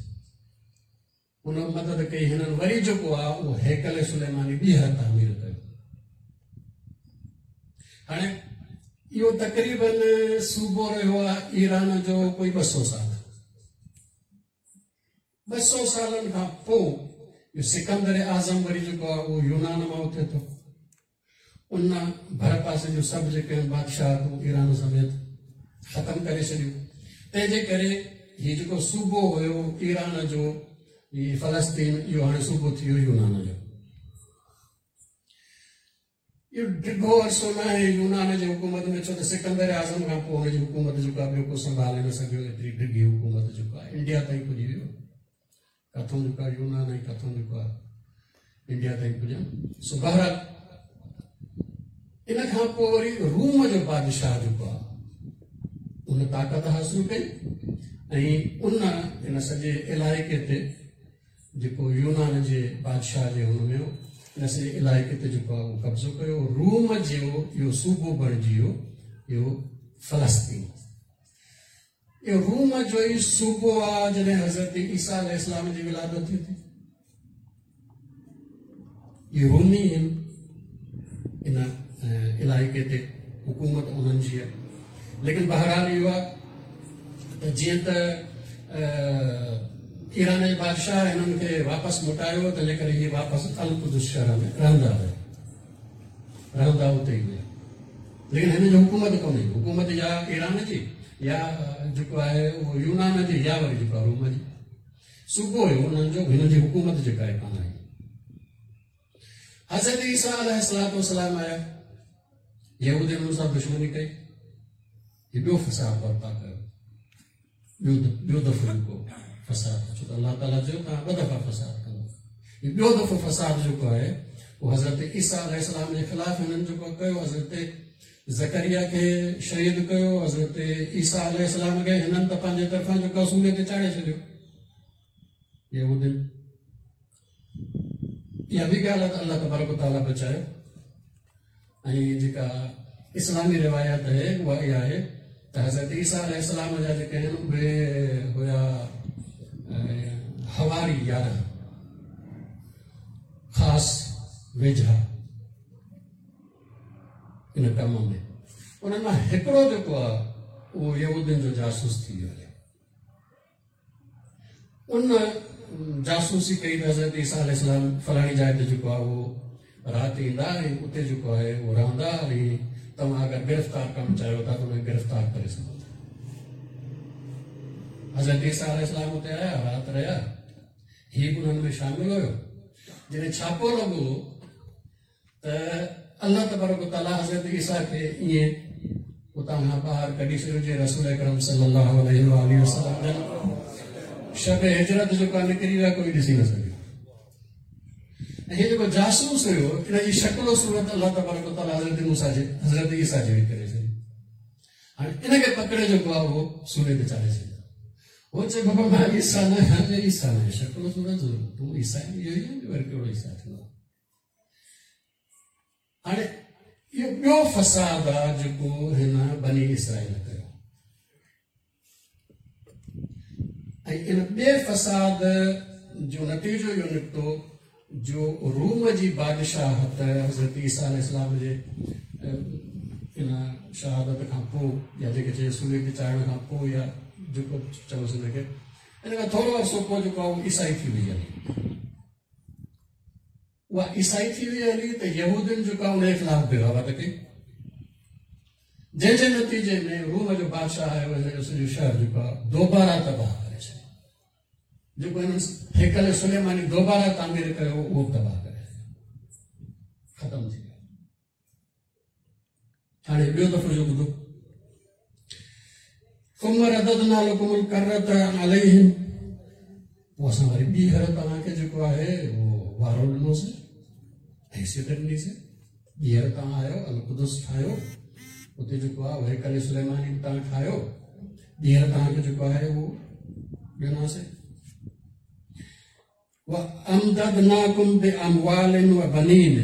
ان مدد ڪئي. هنن وري جيڪو آهي اهو هيڪل سليماني ٻيهر تعمير ڪيو. هاڻي اهو تقريبن صوبو رهيو آهي ايران جو ڪوئي 200 سال. 200 سالن کان پوء اهو سڪندر اعظم وري جيڪو آهي اهو يونان مان اٿي ٿو. ان ڀر پاسي جون سڀ جيڪي آهن بادشاهتون ايران سميت ختم ڪري ڇڏيون. تنهن جي ڪري هي جيڪو صوبو هيو ايران جو، هي فلسطين، اهو هاڻي صوبو ٿي ويو يونان جو. اهو ڊگهو عرصو ناهي يونان جي حڪومت ۾، ڇو ته سڪندر اعظم کان پوء هن جي حڪومت جيڪو آهي ٻيو ڪو سنڀالي نه سگهيو. ايتري ڊگهي حڪومت جيڪو آهي انڊيا تائين پڄي ويو، ڪٿون جيڪو آهي يونان ۽ ڪٿون جيڪو آهي انڊيا تائين پڄن. سو بهرحال ان کان پوء وري روم جو بادشاهه جيڪو آهي ان طاقت حاصل ڪئي ۽ ان ان سڄي علائقي تي جيڪو يونان جي بادشاهه جي هن ۾ هو، ان سڄي علائقي تي جيڪو آهي اهو قبضو ڪيو. روم جو اهو صوبو بڻجي ويو اهو فلسطين. اهو روم جو ئي صوبو آهي جڏهن حضرت عيسيٰ عليه السلام جي ولادت ٿي ٿي. اهي رومي آهن، ان علائقي تي حڪومت انهن جي آهي. ليڪن بهرحال اهو آهي ته جيئن ته ايران جي بادشاهه هنن کي واپس موٽايو، تنهن جي ڪري هي واپس القدس شهر ۾ رهندا رهيا، رهندا اتي ئي هيا. ليڪن هن جي حڪومت ڪونهي، حڪومت يا ايران جي يا جيڪو آهي اهو يونان جي يا وري جيڪو آهي روم جي. صوبو هيو انهن جو، هنن جي حڪومت جيڪا آهي ڪانه آئي. حضرت عيسيٰ عليه الصلوة والسلام آيا، يهودين انهن سان دشمني ڪئي، هي ٻيو فساد برپا ڪيو، ٻيو دفعو جيڪو فساد، ڇو ته الله تعاليٰ چيو توهان ٻه دفعا فساد ڪندو. هي ٻيو دفعو فساد جيڪو آهي اهو حضرت عيسيٰ عليه السلام جي خلاف هنن جيڪو ڪيو، حضرت زڪريا کي شهيد ڪيو، حضرت عيسيٰ عليه السلام کي هنن ته پنهنجي طرفان جيڪو سولي تي چاڙهي ڇڏيو يهودين. اها به ڳالهه آهي ته الله تبارڪ وتعاليٰ بچايو. ۽ جيڪا اسلامي روايت آهي اها اها آهي ته حضرت عيسيٰ عليه السلام جا جيڪي آهن اهي هيا حواري 11 خاص ويجها ان ڪم ۾، انهن مان هڪڙو جيڪو آهي اهو يهودين جو جاسوس ٿي ويو آهي. ان جاسوسي ڪئي ته حضرت عيسيٰ عليه السلام فلاڻي جاء تي جيڪو آهي اهو رات ايندا ۽ اتي جيڪو آهي اهو رهندا ۽ توهان اگر گرفتار ڪرڻ چاهيو ٿا ته انهن کي گرفتار ڪري سگهو ٿا. حضرت عيسيٰ عليه السلام اتي آيا، رات رهيا، هي به انهن ۾ شامل هيو. جڏهن ڇاپو لڳو ته الله تبارڪ وتعاليٰ حضرت عيسيٰ کي ائين اتان کان ٻاهر ڪڍي ڇڏيو جيئن رسول اڪرم صلي الله عليه وآله وسلم جن شب هجرت جو ڪا نڪري ويا، ڪوئي ڏسي نه سگهيو. ۽ هي جيڪو جاسوس هيو ان جي شڪل و صورت الله تبارڪ وتعاليٰ حضرت موسيٰ جي حضرت عيسيٰ جهڙي ڪري ڇڏي. هاڻي ان کي پڪڙي جيڪو آهي اهو سولي تي چاڙهي ڇڏيو. هو چئي بابا مان عيسيٰ نه آهيان، عيسيٰ نه آهيان، شڪل و صورت تون عيسيٰ آهين، اهو ئي آهين، وري ڪهڙو عيسيٰ ٿيندو. هاڻي اهو ٻيو فساد آ جيڪو هن بني اسرائيل ڪيو ۽ ان ٻئي فساد جو نتيجو اهو نڪتو جو روم جي بادشاهت حضرت عيسيٰ عليه السلام جي ان شهادت کان پوء يا جيڪي چئي سوري تي چاڙهڻ کان پوء يا جيڪو چئوس ان کي، ان کان ٿورو عرصو پوء جيڪو آهي اهو عيسائي ٿي وئي هلي. اها عيسائي ٿي وئي هلي ته يهودين جيڪا ان جي خلاف بغاوت ڪئي، جنهن جي نتيجي ۾ روم جو بادشاهه آيو، هن جو سڄو شهر جيڪو آهي دوباره تباهه ڪري ڇڏيو. جيڪو هنن هيڪل سليماني دوباره تعمير ڪيو اهو به تباهه ڪري ڇڏيو، ختم ٿي ويو. هاڻي ٻيو دفعو جو ٻڌو، ثم رددنا لكم الكرة عليهم، پوء اسان وري ٻيهر توهان کي جيڪو آهي اهو وارو ڏنوسين، حيثيت ڏنيسين، ٻيهر توهان آيو القدس ٺاهيو، اتي جيڪو آهي هيڪل سليماني به توهان ٺاهيو، ٻيهر توهان کي جيڪو آهي اهو ڏنوسين. وامددناڪم باموال وبنين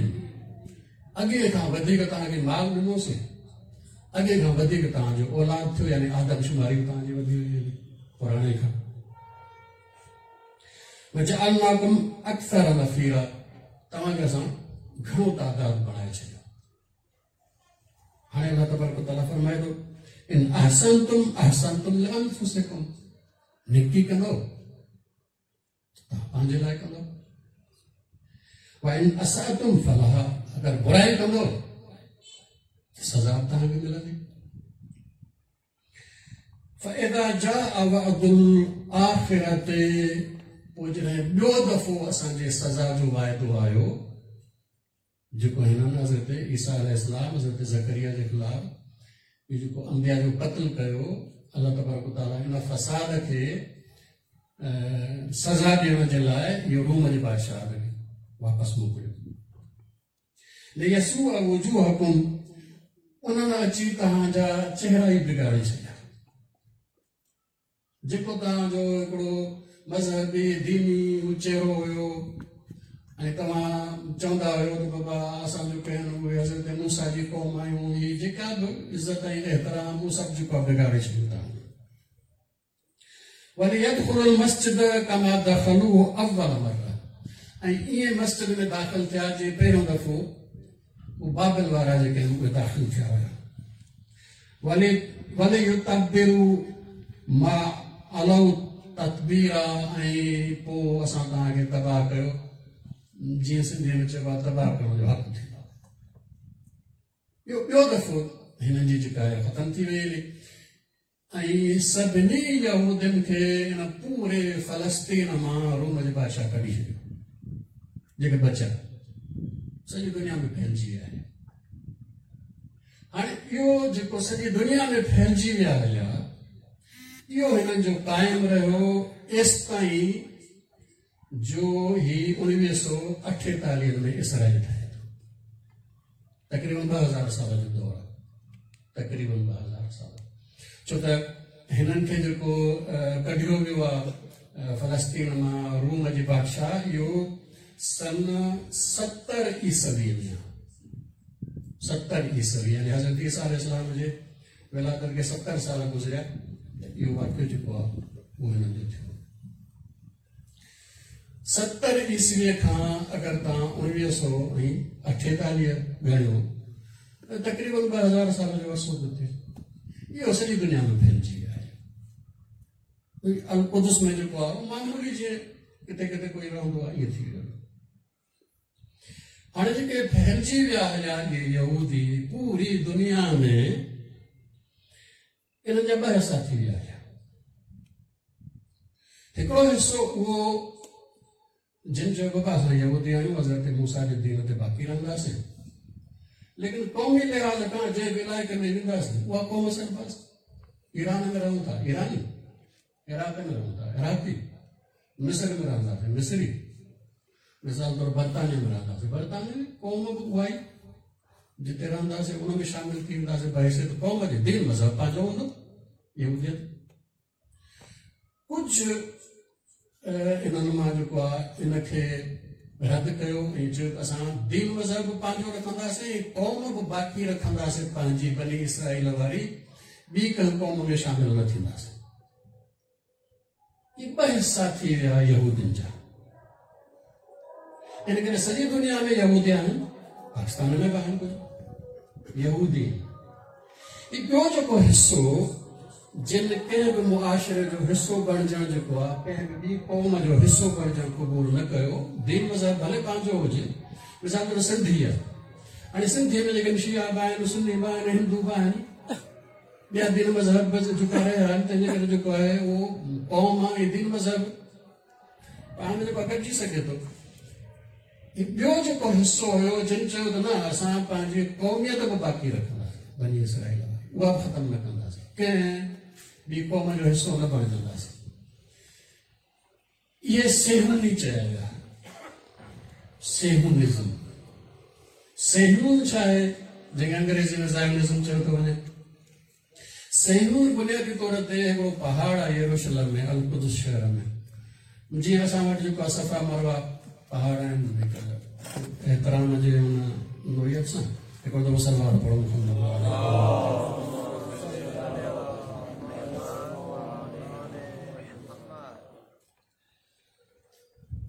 اڳي کان وڌيڪ توهان کي مال ڏنوسين، اڳي کان وڌيڪ توهان جو اولاد ٿيو، يعني آدمشماري به توهان جي وڌي وئي هلي پراڻي کان. وجعلناڪم اڪثر نفيرا توهان کي اسان گهڻو تعداد بڻائي ڇڏيو. هاڻي الله تبارڪ وتعاليٰ فرمائي ٿو ان احسنتم احسنتم لانفسکم، نيڪي ڪندو توهان پنهنجي لاء ڪندو، وان اساتم فلها، اگر برائي ڪندو ته سزا به توهان کي ملندي. فاذا جاء وعد الاخرة، پوء جڏهن ٻيو دفعو اسان جي سزا جو واعدو آيو، جيڪو هنن حضرت عيسيٰ عليه السلام حضرت زڪريا جي خلاف اهو جيڪو انبياء جو قتل ڪيو، الله تبارڪ وتعاليٰ ان فساد کي سزا ڏيڻ جي لاء اهو روم جي بادشاهه کي واپس موڪليو. ليسوء وجوهڪم، انهن اچي توهان جا چهرا ئي بگاڙي ڇڏيا. جيڪو توهان جو هڪڙو مذهبي ديني چهرو هيو ۽ توهان چوندا هيو ته بابا اسان جو ڪهن اهي حضرت موسيٰ جي قوم آهيون، هي جيڪا به عزت ۽ احترام اهو سڀ جيڪو آهي بگاڙي ڇڏيو توهان. وليدخلوا المسجد ڪما دخلوه اول مره، ۽ ائين مسجد ۾ داخل ٿيا جيئن پهريون دفعو هو بابل وارا جيڪي آهن اهي داخل ٿيا هيا. وليتبروا ما علوا تتبيرا، ۽ پوء اسان توهان کي تباهه ڪيو، جيئن سنڌيء ۾ چئبو آهي تباهه ڪرڻ جو حق ٿيندو آهي. اهو ٻيو دفعو هنن جي جيڪا آهي ختم ٿي وئي هلي ۽ سڀني يهودين کي ان پوري فلسطين مان روم جي بادشاهه ڪڍي ڇڏيو، جيڪي بچيا سڄي دنيا ۾ ڦهلجي ويا آهن. هاڻي اهو جيڪو سڄي دنيا ۾ ڦهلجي ويا هليا، اهو هنن جو قائم رهيو ايستائين جو هي 1948 ۾ اسرائيل ٺهي ٿو. تقريبن 2000 سال جو دور آهي، تقريبن 2000 سال، ڇو ته هنن کي جيڪو ڪڍيو ويو آهي فلسطين مان روم جي بادشاهه، اهو سن 70 عيسوي ۾ آهي، 70 عيسوي، يعني حضرت عيسيٰ عليه السلام جي ولادت کي 70 سال گذريا ته اهو واقعو جيڪو آهي اهو هنن جو ٿيو. 70 عيسويء کان اگر توهان 1948 ڳڻيو ته تقريبن 2000 سال جو عرصو ٿو ٿئي. اهو سڄي دنيا ۾ ڦهلجي ويو آهي. القدس ۾ جيڪو آهي معمولي جيئن ڪٿي ڪٿي ڪوئي رهندو آهي ائين ٿي ويو. هاڻي جيڪي ڦهلجي ويا هليا اهي يهودي پوري دنيا ۾، انهن جا ٻه حصا ٿي ويا هيا. هڪڙو حصو اهو جن چيو بابا اسان يهودي آهيون، حضرت موسيٰ جي دين تي باقي رهنداسين، ليڪن قومي لحاظ کان جنهن به علائقي ۾ وينداسين اها قوم سڏباسين. ايران ۾ رهون ٿا ايراني، عراق ۾ رهون ٿا عراقي، مصر ۾ رهنداسين مصري، مثال طور برطانيا ۾ رهنداسين برطانوي، قوم به اها ئي جتي رهنداسين ان ۾ شامل ٿي وينداسين بحيثيت قوم جي، دين مذهب پنهنجو هوندو يهوديت. ڪجهه انهن مان جيڪو آهي ان کي رد ڪيو ۽ چيو ته اسان دين مذهب به پنهنجو رکنداسين ۽ قوم به باقي رکنداسين پنهنجي بني اسرائيل واري، ٻي ڪنهن قوم ۾ شامل نه ٿينداسين. هي ٻه حصا ٿي ويا يهودين جا. ان ڪري سڄي دنيا ۾ يهودي آهن، پاڪستان ۾ به آهن ڪجهه يهودي. هي ٻيو جيڪو حصو جن ڪنهن به معاشري جو حصو بڻجڻ جيڪو آهي، ڪنهن به ٻي قوم جو حصو بڻجڻ قبول نه ڪيو، دين مذهب ڀلي پنهنجو هجي. مثال طور سنڌي آهي، هاڻي سنڌي ۾ جيڪي شيعا به آهن، سني به آهن، هندو به آهن، ٻيا دين مذهب به جيڪا رهيا آهن، تنهن جي ڪري جيڪو آهي اهو قوم ۽ دين مذهب پاڻ ۾ جيڪو گڏجي سگهي ٿو. ٻيو جيڪو حصو هيو جن چيو ته نه اسان پنهنجي قوميت به باقي رکنداسين بني اسرائيل واري، اها به ختم نه ڪنداسين، ڪنهن ٻي قوم جو حصو نه بڻجنداسين. اهي صيهوني چيا ويا، صيهونزم. صيهون ڇا آهي؟ جنهن کي انگريزي ۾ زايونزم چيو ٿو وڃي. صهيون بنيادي طور تي هڪڙو پهاڙ آهي يروشلم ۾ القدس شهر ۾، جيئن اسان وٽ جيڪو آهي صفا مروه پهاڙ آهن، هڪ احترام جي ان نوعيت سان هڪڙو دفعو صلوات پڙهو محمد.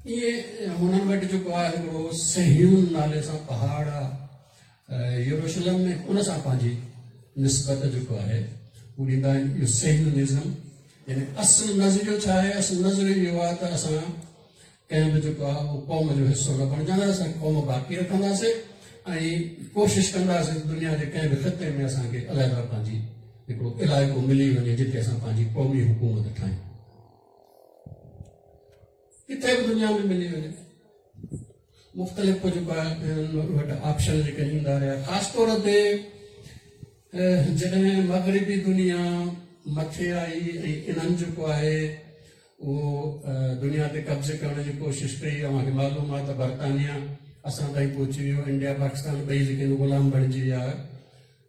ائين هنن وٽ جيڪو آهي هڪڙو صهيون نالي سان پهاڙ آهي يروشلم ۾، ان سان پنهنجي نسبت جيڪو آهي هو ڏيندا آهن. اهو صهيونزم يعني اصل نظريو ڇا آهي؟ اصل نظريو اهو آهي ته اسان ڪنهن به جيڪو آهي اهو قوم جو حصو نه بڻجنداسين، اسان قوم باقي رکنداسين ۽ ڪوشش ڪنداسين دنيا جي ڪنهن به خطي ۾ اسان کي علحده پنهنجي هڪڙو علائقو ملي وڃي جتي اسان پنهنجي قومي حڪومت ٺاهيون، ڪٿي به دنيا ۾ ملي وڃي. مختلف ڪجهه وٽ آپشن جيڪي ايندا رهيا، خاص طور تي جڏهن مغربي دنيا مٿي آئي ۽ انهن جيڪو آهي اهو دنيا تي قبضي ڪرڻ جي ڪوشش ڪئي. اوهان کي معلوم آهي ته برطانيا اسان تائين پهچي ويو، انڊيا پاڪستان ٻئي جيڪي غلام بڻجي ويا،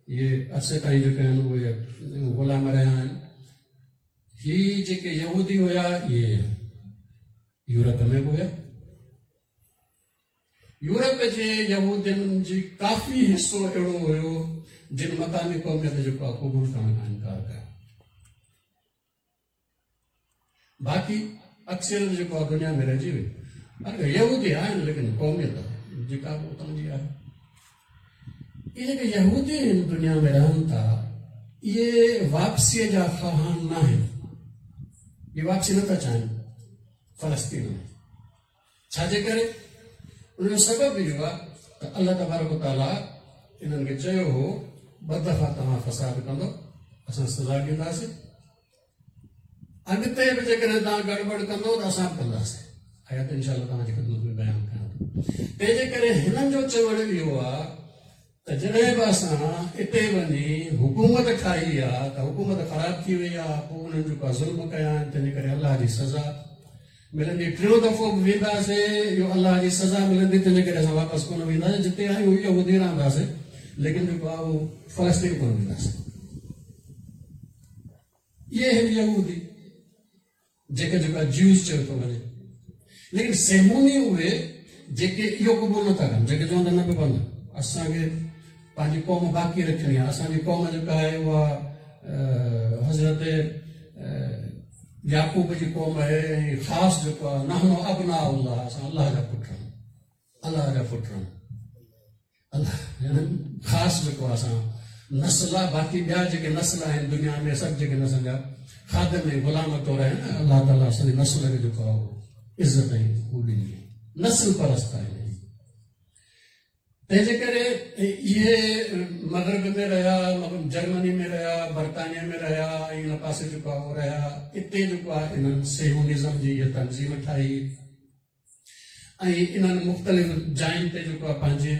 اهي عرصي تائين جيڪي آهن اهي غلام رهيا آهن. هي جيڪي يهودي هيا اهي يورپ ۾ به هيا. يورپ جي يهودين جي ڪافي حصو اهڙو هيو جن مقامي قوميت جيڪو آهي قبول ڪرڻ کان انڪار ڪيو، باقي اڪثريت جيڪو آهي دنيا ۾ رهجي وئي. يهودي آهن ليڪن قوميت جيڪا به اتان جي آهي. اهي جيڪي يهودي هن دنيا ۾ رهن ٿا اهي واپسيء جا خواهان نه آهن، اهي واپسي نٿا چاهين فلسطين ۾. ڇا جي ڪري؟ ان جو سبب اهو آهي ته الله تبارڪ وتعاليٰ انهن کي چيو هو 2 دفعا توهان فساد ڪندو اسان سزا ڏينداسين، اڳتي به جيڪڏهن توهان گڙٻڙ ڪندو ته اسان به ڪنداسين. آيات انشاء الله توهان جي خدمت ۾ بيان ڪيان ٿو. تنهن جي ڪري هنن جو چوڻ اهو آهي ته جڏهن به اسان اتي وڃي حڪومت ٺاهي آهي ته حڪومت خراب ٿي وئي آهي، پوء انهن جيڪو ظلم ڪيا آهن تنهن جي ڪري الله جي سزا ملندي. ٽيون دفعو به وينداسين اهو الله جي سزا ملندي، تنهن جي ڪري اسان واپس ڪونه وينداسين، جتي آهيون اهو هتي رهنداسين، ليڪن جيڪو آهي اهو فلسطين ڪونه وينداسين. اهي آهن يهودي جيڪي جيڪا جيوز چيو ٿو وڃي، ليڪن سيموني اهي جيڪي اهو قبول نٿا ڪن، جيڪي چون ٿا نه بابا نه، اسان کي پنهنجي قوم باقي رکڻي آهي، اسان جي قوم جيڪا آهي اها حضرت يعقوب جي قوم آهي ۽ خاص جيڪو آهي نحن ابناء الله، اسان الله جا پٽ آهيون، الله جا پٽ آهيون، الله يعني خاص جيڪو آهي اسان نسل آهي، باقي ٻيا جيڪي نسل آهن دنيا ۾ سڀ جيڪي نسل جا خادم ۽ غلام طور آهن، الله تعاليٰ اسان جي نسل کي جيڪو آهي عزت ۽ هو ڏني آهي، نسل پرست آهن. تنهن جي ڪري اهي مغرب ۾ رهيا، جرمني ۾ رهيا، برطانيا ۾ رهيا ۽ ان پاسي جيڪو آهي اهو رهيا. اتي جيڪو آهي انهن صهيونزم جي اها تنظيم ٺاهي ۽ انهن مختلف جاين تي جيڪو آهي پنهنجي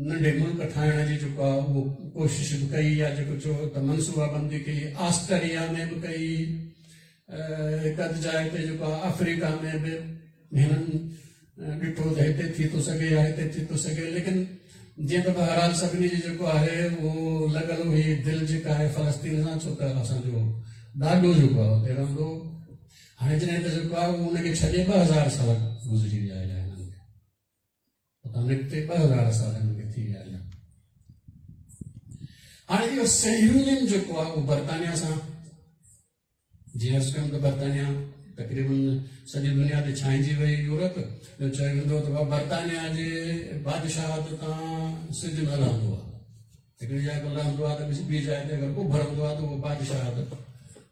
ننڍي ملڪ ٺاهڻ جي جيڪو آهي اهو ڪوشش به ڪئي يا جيڪو چئو ته منصوبه بندي ڪئي، آسٽريا ۾ به ڪئي، هڪ اڌ جاء تي جيڪو آهي آفريڪا ۾ به هنن ڏٺو ته هتي ٿي ٿو سگهي يا هتي ٿي ٿو سگهي، ليڪن جيئن ته بهرحال سڀني جي جيڪو آهي اهو لڳل هئي دل جيڪا آهي فلسطين سان، ڇو ته اسان جو ڏاڏو جيڪو آهي اتي رهندو. هاڻي جڏهن ته جيڪو آهي اهو ان کي ڇڏي 2000 سال گذري ويا آهن، هنن کي اتان نڪتي 2000 سال هنن کي ٿي ويا آهن. هاڻي اهو صهيونين جيڪو آهي اهو برطانيا سان، جيئن عرض ڪيم ته برطانيا تقريبن سڄي دنيا تي ڇانئجي وئي، يورپ جو چيو ويندو ته برطانيا جي بادشاهت تان سج نه لهندو آهي، هڪڙي جاء تي لهندو آهي ته ٻي جاء تي اگر اڀرندو آهي ته اهو بادشاهت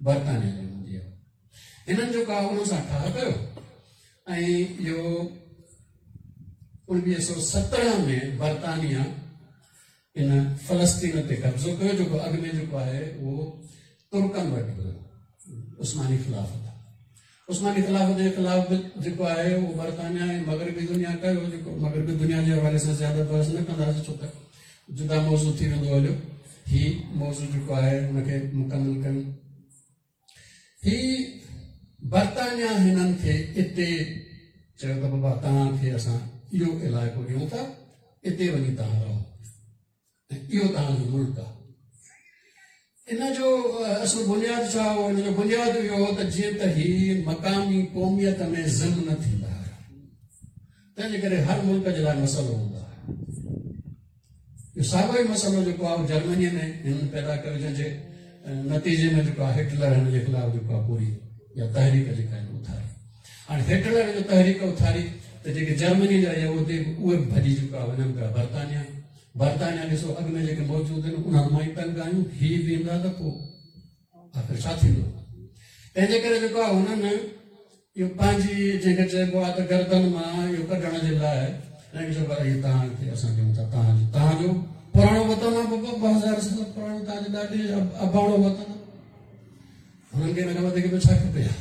برطانيا جي هوندي آهي. هنن جيڪو آهي انهن سان ٺاهه ڪيو ۽ اهو 1917 ۾ برطانيا ان فلسطين تي قبضو ڪيو، جيڪو اڳ ۾ جيڪو آهي اهو ترڪن وٽ هيو، عثماني خلافت. عثماني خلافت جي خلاف به جيڪو آهي اهو برطانيا ۽ مغربي دنيا ڪيو، جيڪو مغربي دنيا جي حوالي سان زياده بحث نه ڪنداسين ڇو ته جدا موضوع ٿي ويندو هليو. هي موضوع جيڪو آهي ان کي مڪمل ڪيون. هي برطانيا هنن کي اتي چيو ته بابا توهان کي اسان اهو علائقو ڏيون ٿا، اتي وڃي توهان رهو ۽ اهو توهان جو ملڪ آهي. ان جو اصل بنياد ڇا هو؟ ان جو بنياد اهو هو ته جيئن ته هي مقامي قوميت ۾ ضم نه ٿيندا هيا، تنهن جي ڪري هر ملڪ جي لاء مسئلو هوندا هيا. اهو ساڳيو ئي مسئلو جيڪو آهي جرمنيء ۾ هنن پيدا ڪيو، جنهن جي نتيجي ۾ جيڪو آهي هٽلر هن جي خلاف جيڪو آهي پوري يا تحريڪ جيڪا هن اٿاري. هاڻي هٽلر جو تحريڪ اٿاري ته جيڪي جرمني جا يهودي اهي به ڀڄي جيڪو آهي وڃن پيا برطانيا. برطانيا ڏسو اڳ ۾ جيڪي موجود آهن انهن مان ئي تنگ آهيون، هي به ايندا ته پوء آخر ڇا ٿيندو؟ تنهن جي ڪري جيڪو آهي هنن اهو پنهنجي جنهن کي چئبو آهي ته گردن مان اهو ڪڍڻ جي لاء هنن کي چئبو آهي اهي توهان کي اسان ڏيون ٿا، توهان جو پراڻو وطن آهي بابا، 2000 سال پراڻو توهان جي ڏاڏي اباڻو وطن آهي. هنن کي ان کان وڌيڪ ٻيو ڇا کپي ها؟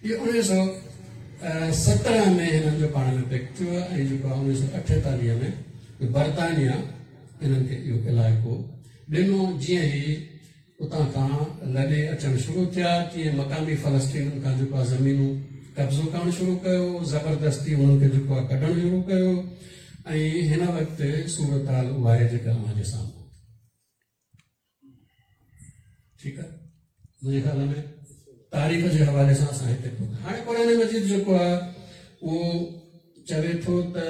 اهو 1917 ۾ هنن جو پاڻ ۾ پيڪٽ ٿيو آهي ۽ جيڪو آهي 1948 ۾ برطانيا هنن کي اهو علائقو ڏنو. جيئن هي اتان کان لڏي اچڻ شروع ٿيا تيئن مقامي فلسطينن کان جيڪو آهي زمينون قبضو ڪرڻ شروع ڪيو، زبردستي انهن کي جيڪو آهي ڪڍڻ شروع ڪيو ۽ هن وقت صورتحال اها آهي جيڪا اوهان جي سامهون. ٺيڪ آهي، منهنجي خيال ۾ تاريخ جي حوالي سان اسان هتي پهتا. هاڻي قرآن مجيد جيڪو آهي اهو چوي ٿو ته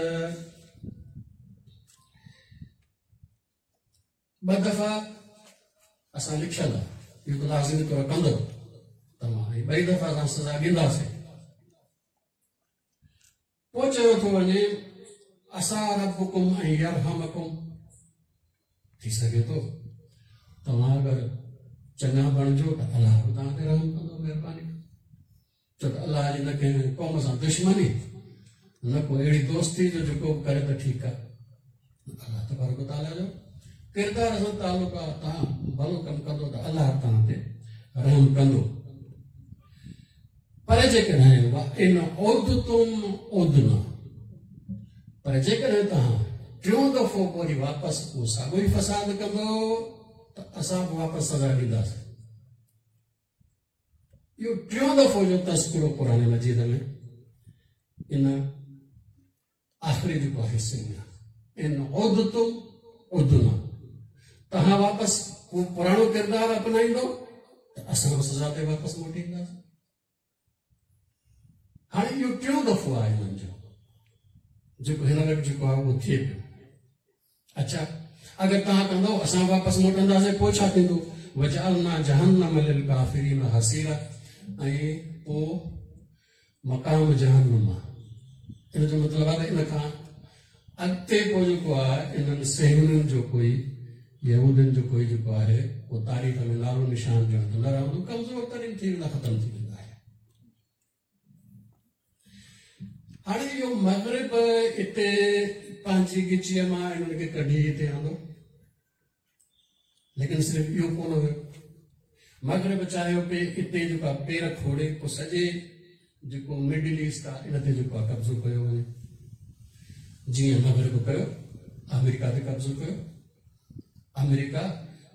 ٻه دفعا اسان لکيل آهي اهو ته لازمي طور ڪندو توهان ۽ ٻئي دفعا اسان سزا ڏينداسين. پوء چيو ٿو وڃي عسيٰ ربڪم ان يرحمڪم، ٿي سگهي ٿو توهان اگر چڱا بڻجو ته الله به توهان تي رحم ڪندو، مهرباني ڪندو. ڇو ته الله جي نه ڪنهن قوم سان دشمني نه ڪو اهڙي دوستي جو جيڪو به ڪري ته ٺيڪ آهي. الله تبارڪ وتعاليٰ جو ڪردار سان تعلق آهي، توهان ڀلو ڪم ڪندو ته الله توهان تي رحم ڪندو. پر جيڪڏهن وان عدتم عدنا، پر جيڪڏهن توهان ٽيون دفعو پوء وري واپس اهو ساڳيو ئي فساد ڪندو ته اسان به واپس سزا ڏينداسين. اهو ٽيون دفعو جو تذڪرو قرآن مجيد ۾ ان آخري جيڪو آهي حصي ۾ آهي، ان عدتم عدنا، توهان واپس اهو پراڻو ڪردار اپنائيندو ته اسان به سزا تي واپس موٽي اينداسين. هاڻي اهو ٽيون دفعو آهي هنن جو جيڪو هن وقت جيڪو آهي اهو ٿئي پيو. اڇا اگر توهان ڪندو اسان واپس موٽنداسين پوء ڇا ٿيندو؟ وجعلنا جهنم للڪافرين حصيرا، ۽ پوء مقام جهنم آهي. ان جو مطلب آهي ته ان کان اڳتي پوء جيڪو آهي انهن صهيونين جو ڪوئي يهودين جو ڪوئي جيڪو آهي اهو تاريخ ۾ نالو نشان ڄڻ ته نه رهندو، ڪمزور ترين ٿي ويندا، ختم ٿي ويندا. هاڻي اهو مغرب اتي پنهنجي ڳچيء مان انهن کي ڪڍي هتي آندو، ليڪن صرف اهو ڪونه هيو. مغرب چاهيو پئي اتي جيڪو آهي پير کوڙي پوء سڄي جيڪو مڊل ايسٽ آهي ان تي جيڪو آهي قبضو ڪيو وڃي، جيئن مغرب ڪيو، آمريڪا تي قبضو ڪيو. آمريڪا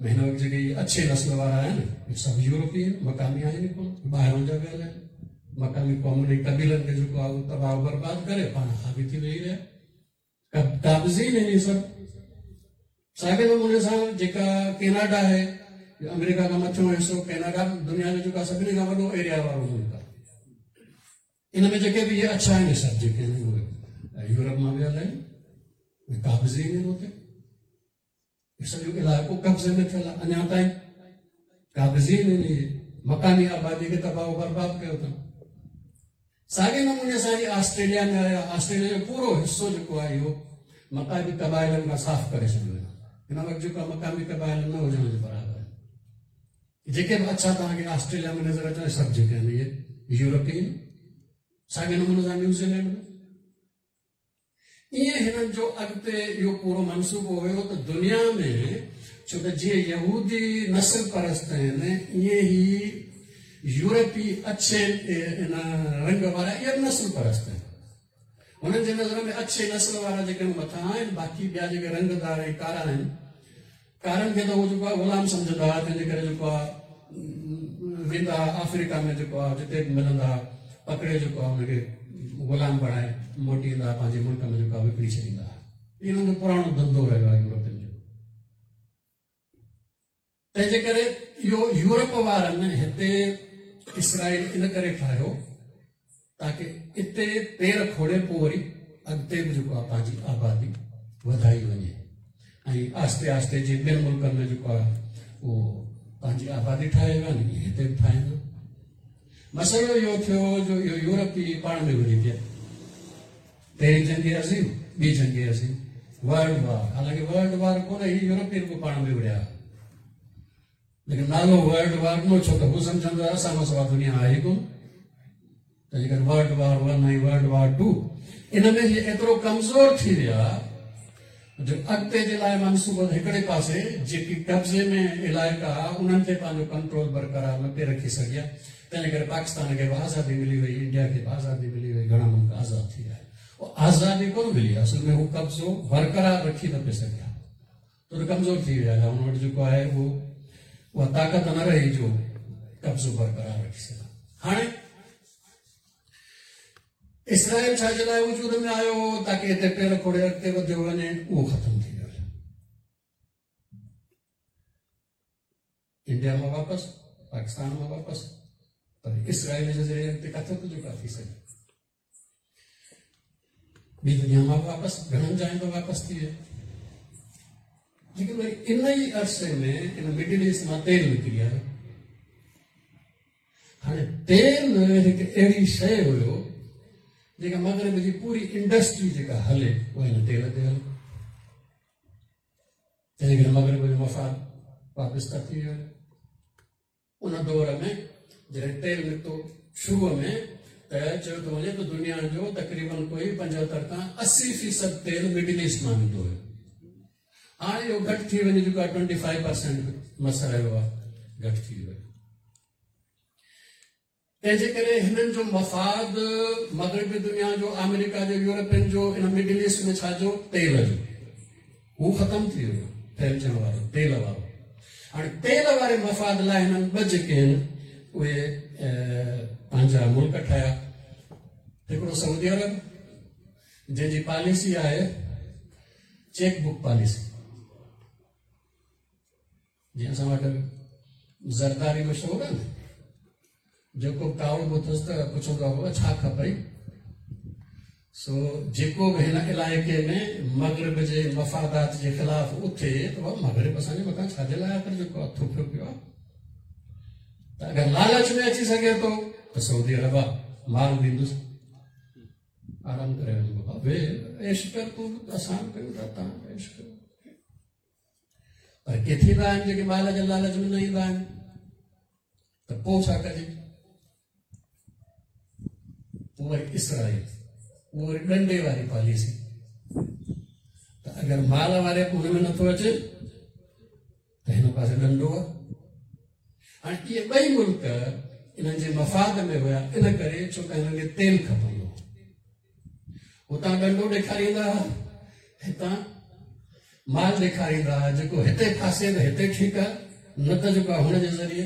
۾ هن وقت جيڪي اڇي نسل وارا آهن اهي سڀ يورپي آهن، مقامي آهن ئي ڪونه، ٻاهران جا ويل آهن. مقامي قومن ۽ قبيلن کي جيڪو آهي اهو تباهه برباد ڪري پاڻ حاوي ٿي ويهي رهيا، قابضين آهن اهي سڀ. ساڳئي نموني سان جيڪا ڪيناڊا آهي، آمريڪا کان مٿيون حصو ڪيناڊا دنيا جو جيڪو سڀني کان وڏو ايريا وارو ملڪ آهي، ان ۾ جيڪي به اهي اڇا آهن سڀ جيڪي آهن اهي يورپ مان ويل آهن، قابضين آهن. اتي سڄو علائقو قبضي ۾ ٿيل آهي، اڃا تائين قابضين آهن. اهي مقامي آبادي کي تباهه و برباد ڪيو اٿن. ساڳئي نموني سان جي آسٽريليا ۾ آيا، آسٽريليا جو پورو حصو جيڪو آهي اهو مقامي قبائلن کان صاف ڪري ڇڏيو ويو. هن وقت جيڪو آهي مقامي قبائل نه هجڻ جي برابر آهن. جيڪي به اڇا توهان کي آسٽريليا ۾ نظر اچن سڀ جيڪي آهن اهي يورپين. ساڳئي نموني سان نيوزيلينڊ ۾ ائين هنن جو اڳتي اهو پورو منصوبو هيو ته دنيا ۾ ڇو ته جيئن يهودي نسل پرست آهن ائين ئي يورپي اڇي ان رنگ وارا اهي به نسل پرست آهن. هنن جي نظر ۾ اڇي نسل وارا جيڪي مٿان آهن، باقي ٻيا جيڪي رنگدار ۽ ڪارا آهن، ڪارن کي ته هو جيڪو آهي غلام سمجهندا هئا، تنهن جي ڪري جيڪو آهي ويندا هئا آفريڪا ۾ جيڪو آهي جتي به ملندا هئا پڪڙي جيڪو آهي ان کي غلام بڻائي موٽي ايندا هئا پنهنجي ملڪ ۾ جيڪو آهي وڪڻي ڇڏيندا هئا. انهن جو پراڻو ڌنڌو رهيو آهي يورپين جو. تنهن جي ڪري اهو يورپ وارن هتي اسرائيل ان ڪري ٺاهيو تاڪه اتي پير کوڙي پوء وري اڳتي به جيڪو آهي پنهنجي آبادي وڌائي وڃي ۽ آهستي آهستي جي ٻين ملڪن ۾ جيڪو آهي اهو پنهنجي آبادي ٺاهي ويا آهن هتي به ٺاهين. مسئلو اهو ٿيو جو اهو يورپي پاڻ ۾ وڙهي پيا. پهرين جنگ عظيم، ٻي جنگ عظيم، ورلڊ وار، حالانڪه ورلڊ وار ڪونه هي يورپي رڳو پاڻ ۾ وڙهيا، ليڪن نالو ورلڊ وار ڏنو ڇو ته هو سمجهندو آهي اسان کان سواء دنيا آهي ڪونه. ته جيڪڏهن world war one ۽ world war two ان ۾ هي ايترو ڪمزور ٿي ويا جو اڳتي جي لاء منصوبو هڪڙي پاسي جيڪي قبضي ۾ علائقا ها انهن تي پنهنجو ڪنٽرول برقرار نه پئي رکي سگهيا. تنهن ڪري پاڪستان کي به آزادي ملي وئي، انڊيا کي به آزادي ملي وئي، گهڻا ملڪ آزاد ٿي ويا. اها آزادي ڪونه ملي، اصل ۾ هو قبضو برقرار رکي نه پئي سگهيا، ته ڪمزور ٿي ويا. هن وٽ جيڪو آهي اهو اها طاقت نه رهي جو قبضو برقرار رکي سگهان. هاڻي اسرائيل ڇا جي لاء وجود ۾ آيو هو؟ تاڪي هتي پير کوڙي اڳتي وڌيو وڃي، اهو ختم ٿي ويو. انڊيا مان واپس، پاڪستان مان واپس، پر اسرائيل جي ذريعي اڳتي ڪٿي ٿو جيڪا ٿي سگهي. ٻي دنيا مان واپس گهڻن جاين تان واپس ٿي ويا. ليڪن وري ان ئي عرصي ۾ ان مڊل ايسٽ مان تيل نڪري آيو. هاڻي تيل هڪ اهڙي شيء هيو جيڪا مغرب جي پوري انڊسٽري جيڪا هلي اها هن تيل تي هلي. تنهن ڪري مغرب جو مفاد وابسته ٿي ويو. ان دور ۾ جڏهن تيل نڪتو شروع ۾ ته چيو ٿو وڃي ته دنيا جو تقريبن ڪوئي 75 کان 80% تيل مڊل ايسٽ مان ايندو هيو. هاڻي اهو گهٽ ٿي وڃي چڪو آهي، 25% مس رهيو آهي، گهٽ ٿي ويو. تنهن جي ڪري هنن جو مفاد مغربي دنيا جو، آمريڪا جو، يورپين جو ان مڊل ايسٽ ۾ ڇا جو تيل جو هو ختم ٿي ويو، ڦهلجڻ وارو تيل وارو. هاڻي تيل واري مفاد لاء هنن ٻه جيڪي آهن اهي پنهنجا ملڪ ٺاهيا. هڪڙو سعودي عرب جنهن جي پاليسي آهي چيڪ بڪ پاليسي، جيئن اسان وٽ زرداري مشهور آهي نه، جيڪو به ڪاوڙبو اٿس ته پڇندو آهي بابا ڇا کپئي. سو جيڪو به هن علائقي ۾ مغرب جي مفادات جي خلاف اٿي ته بابا مغرب اسان جي مٿان ڇا جي لاء آخر جيڪو هٿ ٿڦيو پيو آهي، ته اگر لالچ ۾ اچي سگهي ٿو ته سعودي عرب آ مال ڏيندس، آرام ڪري وڃ بابا، ويهه عيش ڪر تون، اسان به ڪيون ٿا، تان به عيش ڪيو. پر ڪي ٿيندا آهن جيڪي مال جي لالچ ۾ نه ايندا آهن، ته پوء ڇا ڪجي؟ پوء وري اسرائيل، اهو وري ڏنڊي واري پاليسي، ته اگر مال واري هن ۾ نٿو اچي ته هن پاسي ڏنڊو آهي. هاڻي اهي ٻئي ملڪ انهن جي مفاد ۾ هيا، ان ڪري ڇو ته هنن کي تيل کپندو هو. هتان ڏنڊو ڏيکاريندا هئا، هتان مال ڏيکاريندا هئا، جيڪو هتي ڦاسي ته هتي ٺيڪ آهي، نه ته جيڪو هن جي ذريعي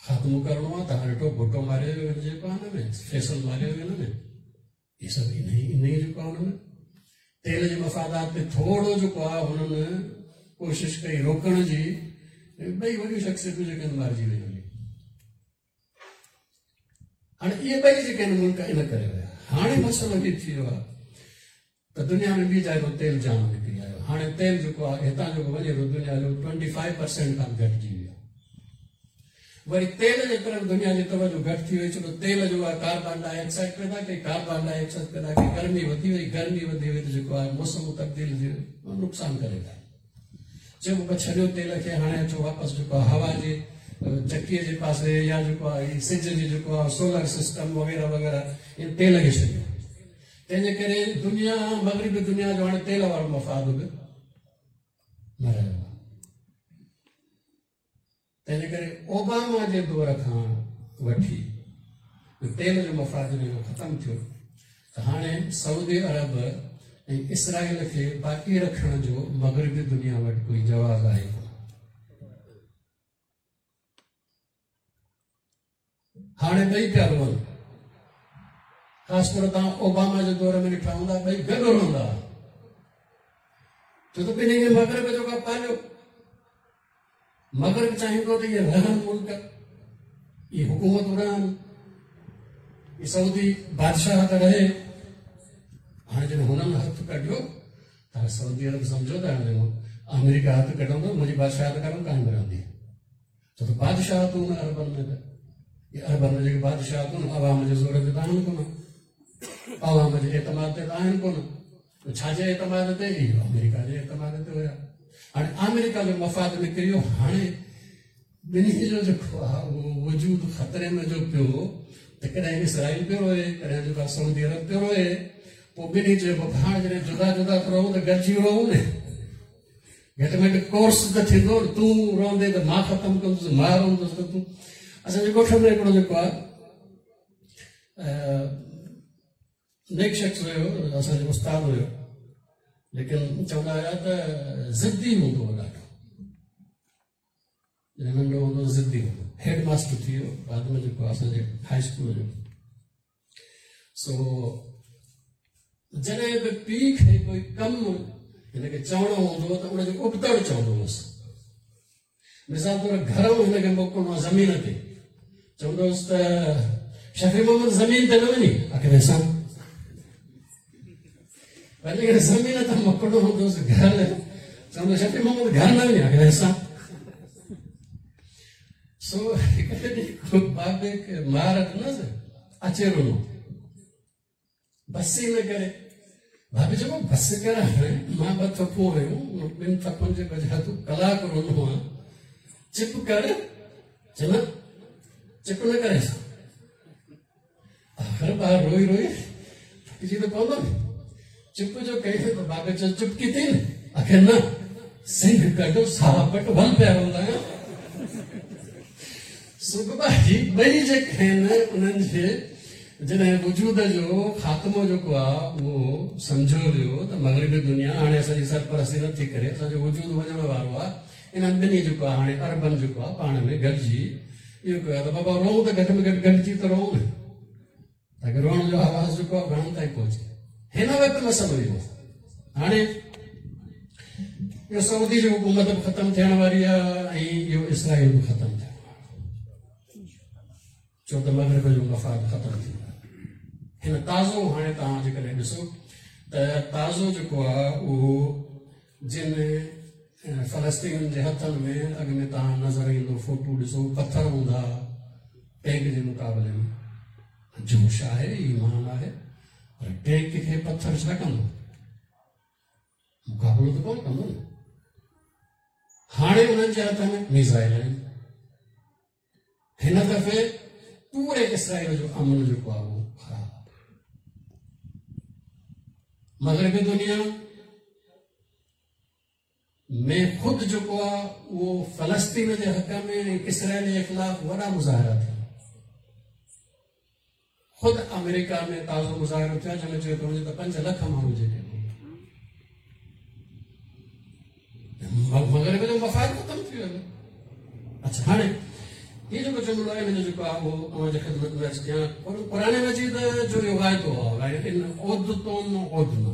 خاتمو ڪرڻو آهي. توهان ڏٺو ڀٽو ماريو ويو هن جيڪو آهي هن ۾ فيصل ماريو ويو هن ۾، هي سڀ انهي جيڪو آهي هن ۾ تيل جي مفادات تي ٿورو جيڪو آهي هنن ڪوشش ڪئي روڪڻ جي، ٻئي وڏيون شخصيتون جيڪي آهن مارجي ويون هلي. هاڻي اهي ٻئي جيڪي آهن ملڪ ان ڪري ويا. هاڻي مسئلو هي ٿي ويو آهي ته دنيا ۾ ٻي جاء تان تيل جام نڪري آيو. هاڻي تيل جيڪو آهي هتان جيڪو وڃي ٿو دنيا جو 25% کان گهٽجي ويو آهي. وري تيل جي طرف دنيا جي توجه گهٽ ٿي وئي، ڇو ته تيل جو آهي ڪاربان ڊاء آڪسائيڊ پيدا ڪئي، ڪاربان ڊاء آڪسائيڊ پيدا ڪئي، گرمي وڌي وئي، گرمي وڌي وئي ته جيڪو آهي موسم تبديل ٿي ويو، نقصان ڪري ٿا. چئبو به ڇڏيو تيل کي، هاڻي اچو واپس جيڪو آهي هوا جي چڪيء جي پاسي يا جيڪو آهي سج جي جيڪو آهي سولر سسٽم وغيره وغيره، ان تيل کي ڇڏيو. تنهن جي ڪري دنيا مغربي دنيا جو هاڻي تيل وارو مفاد به نه رهيو آهي. تنهن جي ڪري اوباما جي دور کان وٺي تيل جو مفاد جڏهن کان ختم ٿيو ته هاڻي سعودي عرب ۽ اسرائيل کي باقي رکڻ جو مغربي دنيا وٽ ڪوئي جواز آهي ڪونه. هاڻي ٻئي پيا روئن. خاص طور تان اوباما جي دور ۾ ڏٺا هوندا، ٻئي گڏ روئندا هئا. ڇو ته ٻنهي کي مغرب جيڪو آهي پاليو. مغرب چاهيندو ته اهي رهن ملڪ، اهي حڪومتون رهن، اهي سعودي بادشاهت رهي. هاڻي جڏهن هنن هٿ ڪڍيو ته سعودي عرب سمجهيو ته هاڻي آمريڪا هٿ ڪڍندو منهنجي بادشاهت ڪانه قائم رهندي. ڇو ته بادشاهتون نه عربن ۾ ته اهي عربن ۾ جيڪي بادشاهتون عوام جي زور تي ته آهن ڪونه، عوام جي اعتماد تي ته آهن ڪونه. ڇا جي اعتماد تي؟ اهو آمريڪا جي اعتماد تي هيا. هاڻي آمريڪا جو مفاد نڪري ويو. هاڻي ٻنهي جو جيڪو آهي اهو وجود خطري ۾ جو پيو ته ڪڏهن اسرائيل پيو روئي، ڪڏهن جيڪو آهي سعودي عرب پيو روئي. پوء ٻنهي چيو بابا هاڻي جڏهن جدا جدا ٿو رهون ته گڏجي روئون نه، گهٽ ۾ گهٽ ڪورس ته ٿيندو نه. تون روئندي ته مان ختم ڪندس، مان روئندس ته تون. اسان جي ڳوٺ ۾ هڪڙو جيڪو آهي نيڪ شخص هيو، اسان جو استاد هيو، ليڪن چوندا هيا ته ضدي هوندو هو ڏاڍو. جڏهن ننڍو هوندو هو ضدي هوندو. هيڊ ماستر ٿي ويو بعد ۾ جيڪو اسان جي هائي اسڪول جو. سو جڏهن به پيء کي ڪوئي ڪم هن کي چوڻو هوندو هو ته ان جو ابتڙ چوندو هوس. مثال طور گهر هن کي موڪلڻو آهي زمين تي، چوندو هوس ته شفيع محمد زمين تي نه وڃي، آخر سان وري جيڪڏهن زمين تي موڪلڻو هوندو هوس گهر، چوندو شفيع محمد گهر نه وڃي، آخر سان. سو هڪ ڏينهن بابي کي مار ڏنس، اچي رنو، بس ئي نه ڪري. ڀاڀي چيو بس ڪر هاڻي، مان ٻه ٿڦون هنيون، ٻن ٿڦن جي بجاء تون ڪلاڪ رنو آن، چپ ڪر. چي نه چپ نه ڪري سان. آخر ٻار روئي روئي ٿڪجي ته پوندو نه. چپ جو ڪئي ته ڀاڀي چيو چپ ڪيتي نه؟ آخر نه، سنگهه ڪڍ ساهه پٽ ول پيا روندا آهيون. سو بابا هي ٻئي جيڪي آهن انهن جي جڏهن وجود جو خاتمو جيڪو آهي اهو سمجهيو ويو ته مغربي دنيا هاڻي اسان جي سرپرستي نه ٿي ڪري، اسان جو وجود وڃڻ وارو آهي. انهن ٻنهي جيڪو آهي هاڻي عربن جيڪو آهي پاڻ ۾ گڏجي اهو ڪيو آهي ته بابا روئون ته گهٽ ۾ گهٽ گڏجي ته روئون نه، تاڪه روئڻ جو آواز جيڪو آهي گهڻن تائين پهچي. هن وقت مسئلو اهو آهي هاڻي اهو سعودي جي حڪومت به ختم ٿيڻ واري آهي ۽ اهو اسرائيل به ختم ٿيڻ وارو آهي، ڇو ته مغرب جو مفاد ختم ٿي ويو. هن تازو هاڻي توهان جيڪڏهن ڏسو ته تازو جيڪو آهي اهو جن فلسطينين جي هٿن ۾ اڳ ۾ توهان نظر ايندو فوٽو ڏسو پٿر هوندا ٽينڪ جي مقابلي ۾ جوش آهي، ايمان آهي، پر ٽينڪ کي پٿر ڇا ڪندو؟ مقابلو ته ڪونه ڪندو نه. هاڻي انهن جي هٿ ۾ ميزائل آهن. هن دفعي پوري اسرائيل جو امن جيڪو آهي اهو خراب آهي. مغربي دنيا ۾ خود جيڪو آهي اهو فلسطين جي حق ۾ ۽ اسرائيل جي خلاف وڏا مظاهرا ٿيا. خود آمريڪا ۾ تازو مظاهرو ٿيو جنهن ۾ چيو پيو وڃي ته 5 لک ماڻهو جيڪي مغرب جو مفاد ختم ٿي ويو. اڇا هاڻي هي جيڪو جملو آهي هن جو جيڪو آهي اهو اوهان جي خدمت ۾ عرض ڪيان. قرآن مجيد جو اهو واعدو آهي ان عدتم عدنا،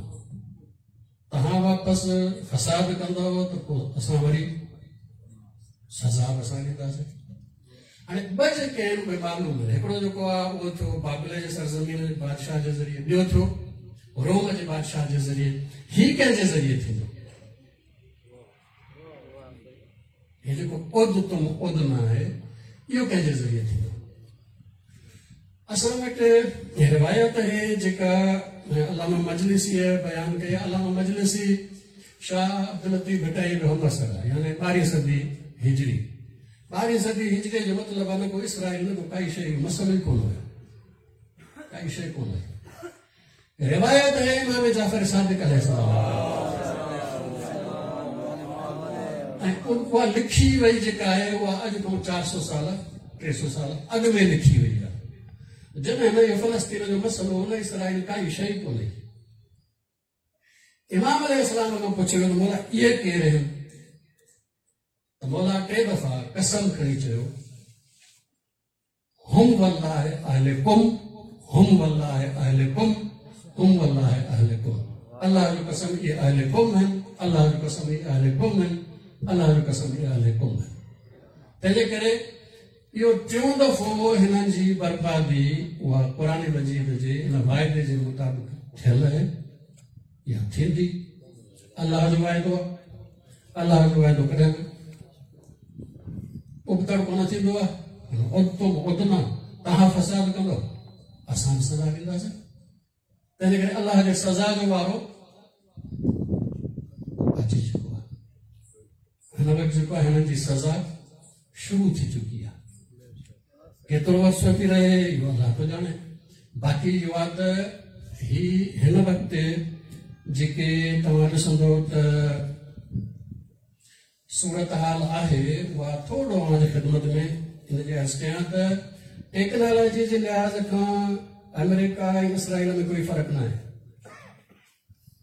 توهان واپس فساد ڪندؤ ته پوء اسان وري سزا به اسان ڏينداسين. هاڻي ٻه جيڪي آهن اهي معلوم آهن. هڪڙو جيڪو آهي اهو ٿيو بابل جي سرزمين جي بادشاهه جي ذريعي، ٻيو ٿيو روم جي بادشاهه جي ذريعي. هي ڪنهن جي ذريعي ٿيندو؟ هي جيڪو عدتم عدنا آهي اهو ڪنهن جي ذريعي ٿيندو؟ اسان وٽ روايت آهي جيڪا علامه مجلسيء بيان ڪئي. علامه مجلسي شاهه عبداللطيف ڀٽائي جو همعصر آهي، يعني 12 صدي هجري. 12 صدي هجري جو مطلب آهي نه ڪو اسرائيل نه ڪو ڪائي شيء، اهو مسئلو ئي ڪونه هيو، ڪائي شيء ڪونه هئي. روايت آهي امام جعفر صادق عليه السلام ۽ اها لکي وئي جيڪا آهي اها اڄ کان 400 سال 300 سال اڳ ۾ لکي وئي آهي، جڏهن نه اهو فلسطين جو مسئلو هو نه اسرائيل، ڪائي شيء ڪونهي. امام عليه السلام کان پڇيو ويو ته مولا اهي ڪير آهن؟ ته مولا 3 دفعا قسم کڻي چيو هم والله اهل قم، هم والله اهل قم، هم والله اهل قم. الله جو قسم اهي اهل قم آهن، الله جو قسم هي اهل قم آهن، الله جو قسم هي اهل قم آهن. تنهنجي ڪري اهو ٽيون دفعو هنن جي بربادي اها قرآن مجيد جي ان واعدي جي مطابق ٿيل آهي يا ٿيندي. الله جو واعدو آهي، الله جو واعدو ڪڏهن به ابتڙ ڪونه ٿيندو آهي. عدتم عدنا، توهان فساد ڪندو اسان به سزا ڏينداسين. تنهنجي ڪري الله جي سزا جو وارو اچي چڪو آهي. هن وقت جيڪو آهي هنن جي سزا شروع ٿي چڪي آهي. ڪيترو عرصو ٿي رهي اهو الله ٿو ڄاڻي. باقي اهو آهي ته هي هن وقت جيڪي توهان ڏسندو ته صورتحال آهي اها ٿورو اوهان جي خدمت ۾ ان جي عرض ڪيان ته ٽيڪنالاجي جي لحاظ کان آمريڪا ۽ اسرائيل ۾ ڪوئي فرق ناهي.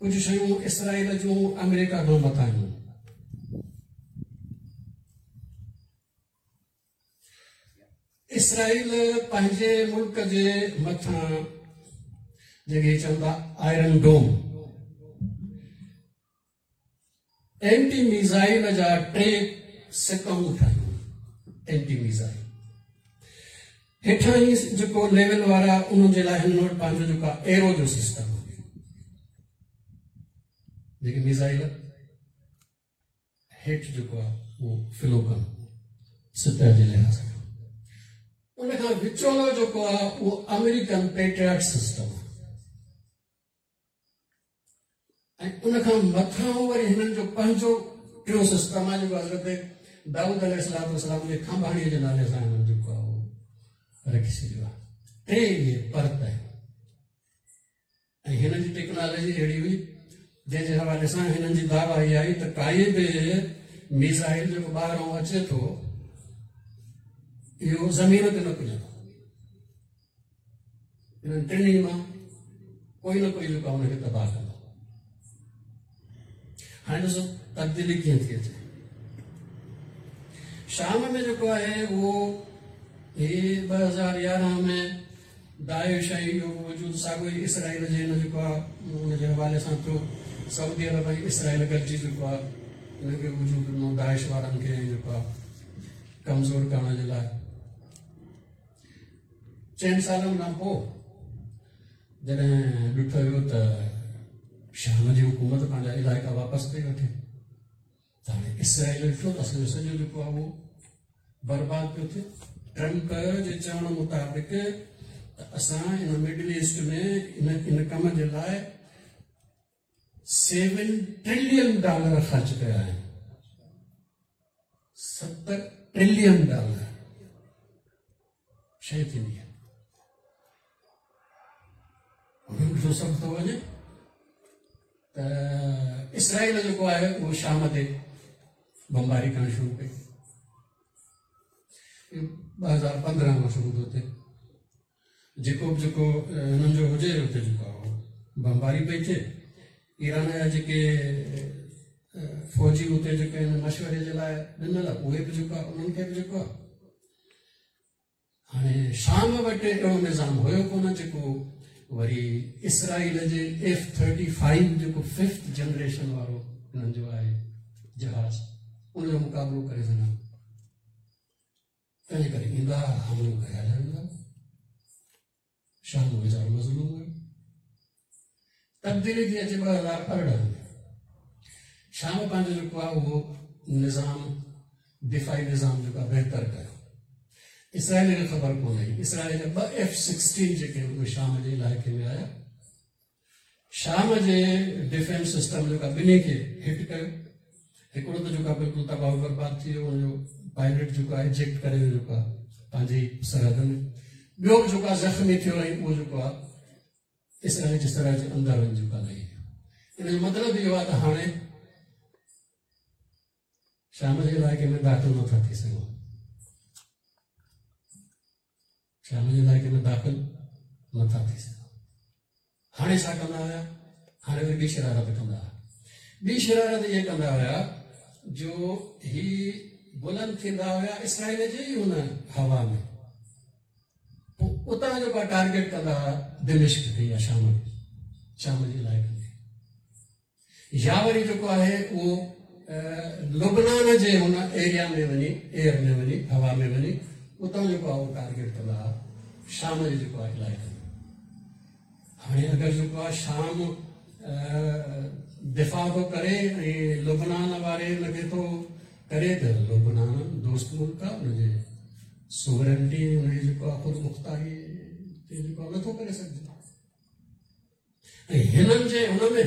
ڪجهه شيون اسرائيل جون آمريڪا کان مٿاهيون. اسرائيل پنهنجي ملڪ جي مٿان جيڪي چون ٿا آئرن ڊوم اينٽي ميزائل جا ٽي سڪائون ٺاهيون. اينٽي ميزائل هيٺان ئي جيڪو ليول وارا انهن جي لاء هنن وٽ پنهنجو جيڪو ايرو جو سسٽم آهي، جيڪي ميزائل هيٺ جيڪو آهي اهو فلو ڪن سطح جي لحاظ کان، ان کان وچولو جيڪو آهي اهو آمريڪن پيٽرياٽ سسٽم آهي ۽ ان کان مٿان وري هنن جو پنهنجو ٽيون سسٽم آهي جيڪو حضرت دائود عليه الصلوة والسلام جي کانڀاڻيء جي نالي سان هنن جيڪو آهي اهو رکي ڇڏيو آهي. ٽي اهي پرت آهن ۽ هنن جي ٽيڪنالاجي اهڙي هئي جنهن جي حوالي سان هنن جي دعويٰ اها آهي ته ڪائي به ميزائل جيڪو ٻاهران اچي ٿو اهو زمين تي نه پڄندو. انهن ٽنهي مان ڪوئي نه ڪوئي جيڪو ان کي تباهه ڪندو. هاڻي ڏسو تبديلي ڪيئن ٿي اچي. شام ۾ جيڪو آهي اهو هي 2011 ۾ داعش ۽ اهو وجود ساڳيو ئي اسرائيل جي هن جيڪو آهي ان جي حوالي سان ٿيو. سعودي عرب ۽ اسرائيل گڏجي جيڪو آهي ان کي وجود ڏنو داعش وارن کي جيڪو آهي ڪمزور ڪرڻ جي لاء. چئن سالن کان پوء جڏهن ڏٺو ويو ته شام جي حڪومت پنهنجا علائقا واپس پئي وٺي ته هاڻي اسرائيل ڏٺو ته اسان جو سڄو جيڪو آهي اهو برباد پيو ٿئي. ٽرمپ جي چوڻ مطابق ته اسان ان مڊل ايسٽ ۾ ان ڪم جي لاء 7 ٽرلين ڊالر خرچ ڪيا آهن. 7 ٽرلين ڊالر شيء ٿيندي آهي. انهن جو سڀ ٿو وڃي ته اسرائيل جيڪو آهي اهو شام تي بمباري ڪرڻ شروع ڪئي. 2015 کان شروع ٿو ٿئي. جيڪو به جيڪو هنن جو هجي اتي جيڪو آهي بمباري پئي ٿئي. ايران جا جيڪي فوجي اتي جيڪي آهن مشوري جي لاء ڏنل اهي به جيڪو آهي انهن کي به جيڪو آهي هاڻي شام وٽ اهڙو نظام هيو ڪونه جيڪو وري اسرائيل جي ايف 35 جيڪو ففٿ جنريشن وارو هنن جو آهي جهاز ان جو مقابلو ڪري سگهن. تنهن ڪري ايندا حملو ڪيا ويندا. شام ويچارو مظلوم هيو. تبديلي ٿي اچي 2018 ۾ شام پنهنجو جيڪو آهي اهو نظام دفاعي نظام جيڪو آهي بهتر ڪيو. اسرائيل کي خبر ڪونه هئي. اسرائيل جا ٻه ايف 16 جيڪي اهي شام جي علائقي ۾ آيا. شام جي ڊفينس سسٽم جيڪا ٻنهي کي هٽ ڪيو. هڪڙو ته جيڪا بلڪل تباهه برباد ٿي ويو، ان جو پائلٽ جيڪو آهي ايجيڪٽ ڪري ويو جيڪو آهي پنهنجي سرحد ۾. ٻيو به جيڪو آهي زخمي ٿيو ۽ اهو جيڪو آهي اسرائيل جي سرحد جي اندر وڃي جيڪو آهي لهي ويو. ان جو مطلب اهو آهي ته هاڻي شام جي علائقي ۾ داخل نٿا ٿي سگهون. شام جي علائقي ۾ داخل نٿا ٿي سگهون. هاڻي ڇا ڪندا هيا؟ هاڻي وري ٻي شرارت ڪندا هيا. ٻي شرارت اها ڪندا هيا جو هي بلند ٿيندا هيا اسرائيل جي ئي ان هوا ۾، پوء اتان جو ڪا ٽارگيٽ ڪندا هيا دمشق کي يا شام کي، شام جي علائقن کي. يا وري جيڪو آهي اهو لبنان جي هن ايريا ۾ وڃي، ايئر ۾ وڃي، هوا ۾ وڃي اتان جيڪو آهي اهو ٽارگيٽ ڪندا هئا شام جي جيڪو آهي علائقن ۾. هاڻي اگر جيڪو آهي شام دفاع ٿو ڪري ۽ لبنان واري ان کي ٿو ڪري ته لبنان دوست ملڪ آهي، ان جي سوورنٽي ان جي جيڪو آهي خود مختاري تي جيڪو آهي نٿو ڪري سگهجي. ۽ هنن جي هن ۾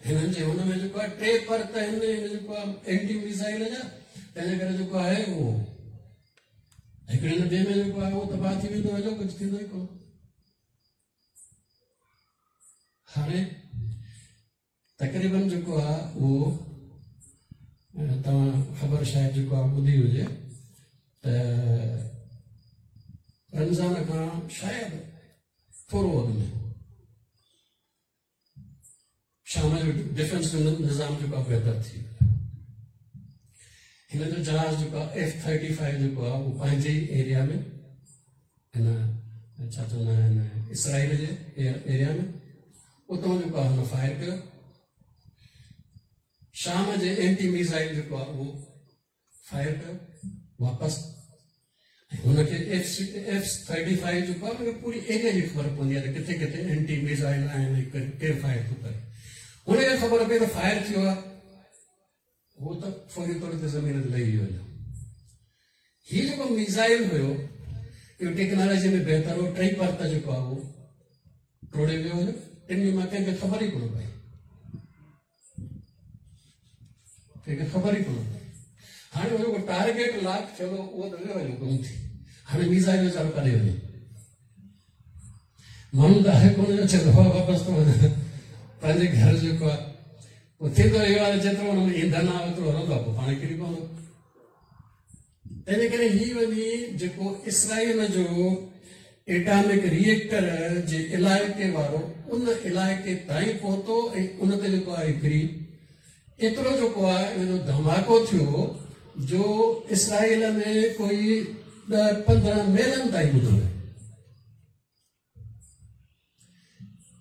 هنن جي هن ۾ جيڪو آهي ٽي پرت آهن هن جيڪو آهي اينٽي ميزائل جا، تنهن جي ڪري جيڪو آهي اهو هڪڙي نه ٻئي ۾ جيڪو آهي اهو تباهه ٿي ويندو هليو، ڪجهه ٿيندو ئي ڪونه. هاڻي تقريبن جيڪو آهي اهو توهان خبر شايد جيڪو آهي ٻڌي هجي ته رمضان کان شايد ٿورو اڳ ۾ شام جو ڊفينس جو نظام جيڪو آهي بهتر ٿي ويو. هن جو جهاز جيڪو آهي ايف ٿرٽي فائيو جيڪو آهي اهو پنهنجي ئي ايريا ۾ هن ڇا چوندا آهن اسرائيل جي ايريا ۾ اتان جيڪو آهي هن فائر ڪيو. شام جي اينٽي ميزائل جيڪو آهي اهو فائر ڪيو واپس. ۽ هن کي ايف ٿرٽي فائيو جيڪو آهي ان کي پوري ايريا جي خبر پوندي آهي ته ڪٿي ڪٿي اينٽي ميزائل آهن ۽ ڪير فائر ٿو ڪري. هن کي خبر پئي ته فائر ٿيو آهي، هو ته فوري طور تي زمين تي لهي ويو هليو. هي جيڪو ميزائل هيو اهو ٽيڪنالاجي ۾ بهتر هو، ٽئي پرت جيڪو آهي اهو ٽوڙي ويو هليو، ٽنهي مان ڪنهن کي خبر ئي ڪونه پئي، ڪنهن کي خبر ئي ڪونه پئي. هاڻي اهو جيڪو ٽارگيٽ لاڪ ٿيل هو اهو ته ويو هليو گم ٿي. هاڻي ميزائل ويچارو ڪاڏي وڃي؟ ماڻهو ته آهي ڪونه جو چوندو آهي واپس ٿو وڃان پنهنجي گهر. جيڪو آهي پوء ٿيندو اهو آهي جيترو هن ۾ ايندھن آهي اوترو هلندو آهي، پوء پاڻ ڪري پوندو. تنهنجي ڪري هي وڃي جيڪو اسرائيل جو ايٽامڪ ريئيڪٽر جي علائقي وارو ان علائقي تائين پهتو ۽ ان تي جيڪو آهي هڪڙي ايترو جيڪو آهي ان جو ڌماڪو ٿيو جو اسرائيل ۾ ڪوئي 10 15 ميلن تائين ٻڌو ويو.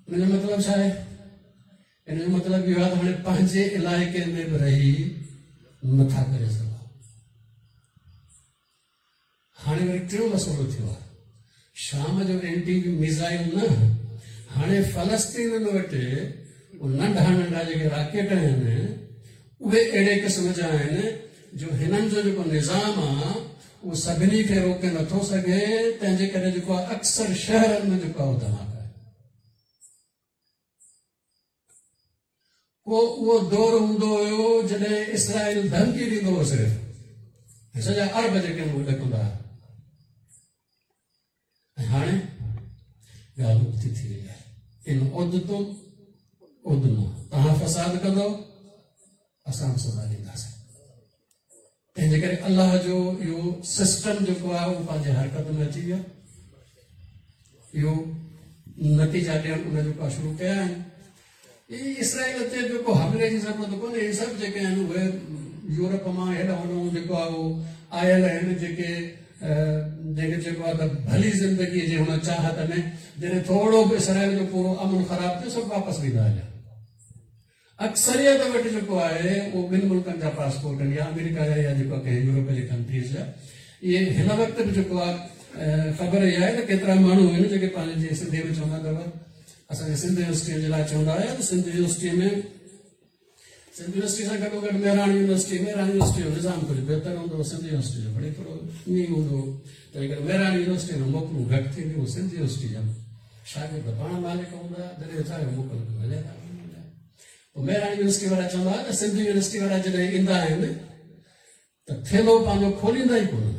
ان جو مطلب ڇا آهي؟ ان جو مطلب اهو آهي ته هاڻي پنهنجي علائقي ۾ به رهي نٿا ڪري سگهون. هاڻي وري ٽيون مسئلو ٿيو آهي، شام جو اينٽي ميزائل نه، هاڻي فلسطينن وٽ ننڍا ننڍا جيڪي راڪيٽ آهن اهي اهڙي قسم جا آهن جو هنن جو جيڪو نظام آهي اهو سڀني کي روڪي نٿو سگهي، تنهن جي ڪري جيڪو آهي اڪثر شهرن ۾ جيڪو آهي اهو ڌماڪا آهن. ڪو اهو دور هوندو هيو جڏهن اسرائيل ڌمڪي ڏيندو هو صرف، ۽ سڄا عرب جيڪي آهن اهي ڏڪندا هئا، ۽ هاڻي ڳالهه ابتي ٿي وئي آهي. ان عدتم عدنا، توهان فساد ڪندو اسان به سزا ڏينداسين. تنهن جي ڪري الله جو اهو سسٽم جيڪو آهي اهو پنهنجي حرڪت ۾ اچي ويو. اهو نتيجا ڏيڻ ان جيڪو آهي شروع ڪيا آهن. هي اسرائيل تي به ڪو حملي جي ضرورت ڪونهي، هي سڀ جيڪي آهن اهي يورپ مان هيڏانهن هوڏانهن جيڪو آهي اهو آيل آهن، جيڪي جنهن کي چئبو آهي ته ڀلي زندگيء جي هن چاهت ۾ جڏهن ٿورو به اسرائيل جو پورو امن خراب ٿيو سڀ واپس ويندا هليا. اڪثريت وٽ جيڪو آهي اهو ٻن ملڪن جا پاسپورٽ آهن، يا آمريڪا جا يا جيڪو ڪنهن يورپ جي ڪنٽريز جا. اهي هن وقت به جيڪو آهي خبر اها آهي ته ڪيترا ماڻهو آهن جيڪي پنهنجي جيئن سنڌي ۾ چوندا اٿو، اسان جي سنڌ يونيورسٽيء جي لاء چوندا هيا ته سنڌ يونيورسٽيء ۾ سنڌ يونيورسٽي سان گڏو گڏ مهراڻ يونيورسٽي، مهراڻ يونيورسٽي جو نظام ڪجهه بهتر هوندو هو، سنڌ يونيورسٽي جو وري ٿورو ائين ئي هوندو هو. تنهن ڪري مهراڻ يونيورسٽي ۾ موڪلون گهٽ ٿينديون هيون، سنڌ يونيورسٽي جا شاگرد پاڻ مالڪ هوندا هئا، جڏهن چاهيو موڪل ڪيو هليا ٿا وڃن. پوء مهراڻ يونيورسٽي وارا چوندا هئا ته سنڌ يونيورسٽي وارا جڏهن ايندا آهن ته ٿيلهو پنهنجو کوليندا ئي ڪونه،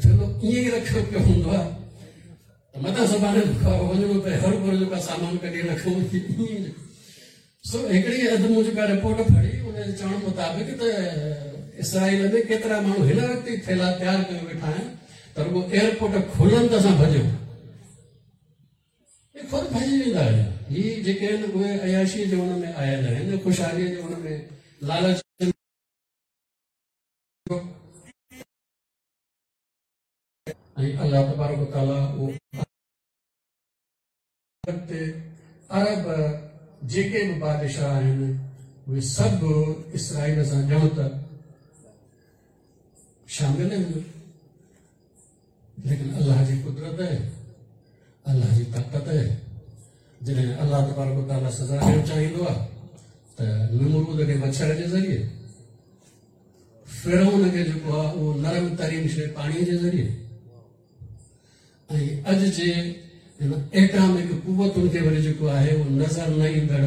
ٿيلهو ائين ئي رکيو پيو هوندو آهي ته متان سڀاڻي وڃڻو پئي هر ڀر جيڪا سامان ڪڍي رکون. سو هڪڙي اڌ مون جيڪا رپورٽ پڙهي ان جي چوڻ مطابق ته اسرائيل ۾ ڪيترا ماڻهو هن وقت ئي ٿيلها تيار ڪيو ويٺا آهن ته رڳو ايئرپورٽ کلن ته اسان ڀڄون. هي خود ڀڄي ويندا آهن. هي جيڪي آهن اهي عياشيء جي ان ۾ آيل آهن، خوشحاليء جي ان ۾ لالچ ۽ الله تبارڪ وتعاليٰ اهو تي عرب جيڪي به بادشاهه آهن اهي سڀ اسرائيل سان ڄڻ ته شامل آهن، ليڪن الله جي قدرت آهي، الله جي طاقت آهي. جڏهن الله تبارڪ وتعاليٰ سزا ڏيڻ چاهيندو آهي ته نمرود کي مڇر جي ذريعي، فرعون کي جيڪو آهي اهو نرم ترين شيء پاڻيء جي ذريعي، ۽ اڄ جي هن ايٽامڪ قوتن کي وري جيڪو آهي اهو نظر نه ايندڙ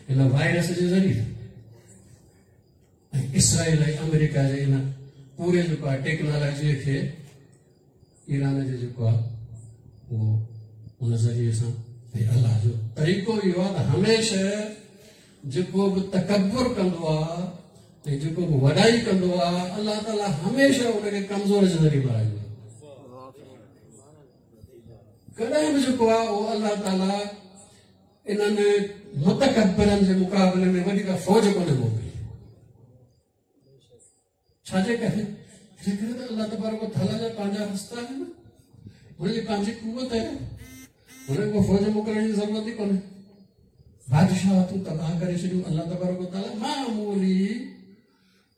هن وائرس جي ذريعي، ۽ اسرائيل ۽ آمريڪا جي ان پوري جيڪو آهي ٽيڪنالاجيء کي ايران جي جيڪو آهي اهو ان ذريعي سان. ۽ الله جو طريقو اهو آهي ته هميشه جيڪو به تڪبر ڪندو آهي ۽ جيڪو به وڏائي ڪندو آهي، الله تعاليٰ هميشه ان کي ڪمزور جي ذريعي مارائيندو آهي. ڪڏهن به جيڪو آهي اهو الله تعاليٰ انهن متڪبرن جي مقابلي ۾ وڏي ڪا فوج ڪونهي موڪلي. ڇا جي ڪري؟ ان ڪري ته الله تبارڪ و تعاليٰ جا پنهنجا رستا آهن، هن جي پنهنجي قوت آهي، هن کي فوج موڪلڻ جي ضرورت ئي ڪونهي. بادشاهتون تباهه ڪري ڇڏيون الله تبارڪ و تعاليٰ معمولي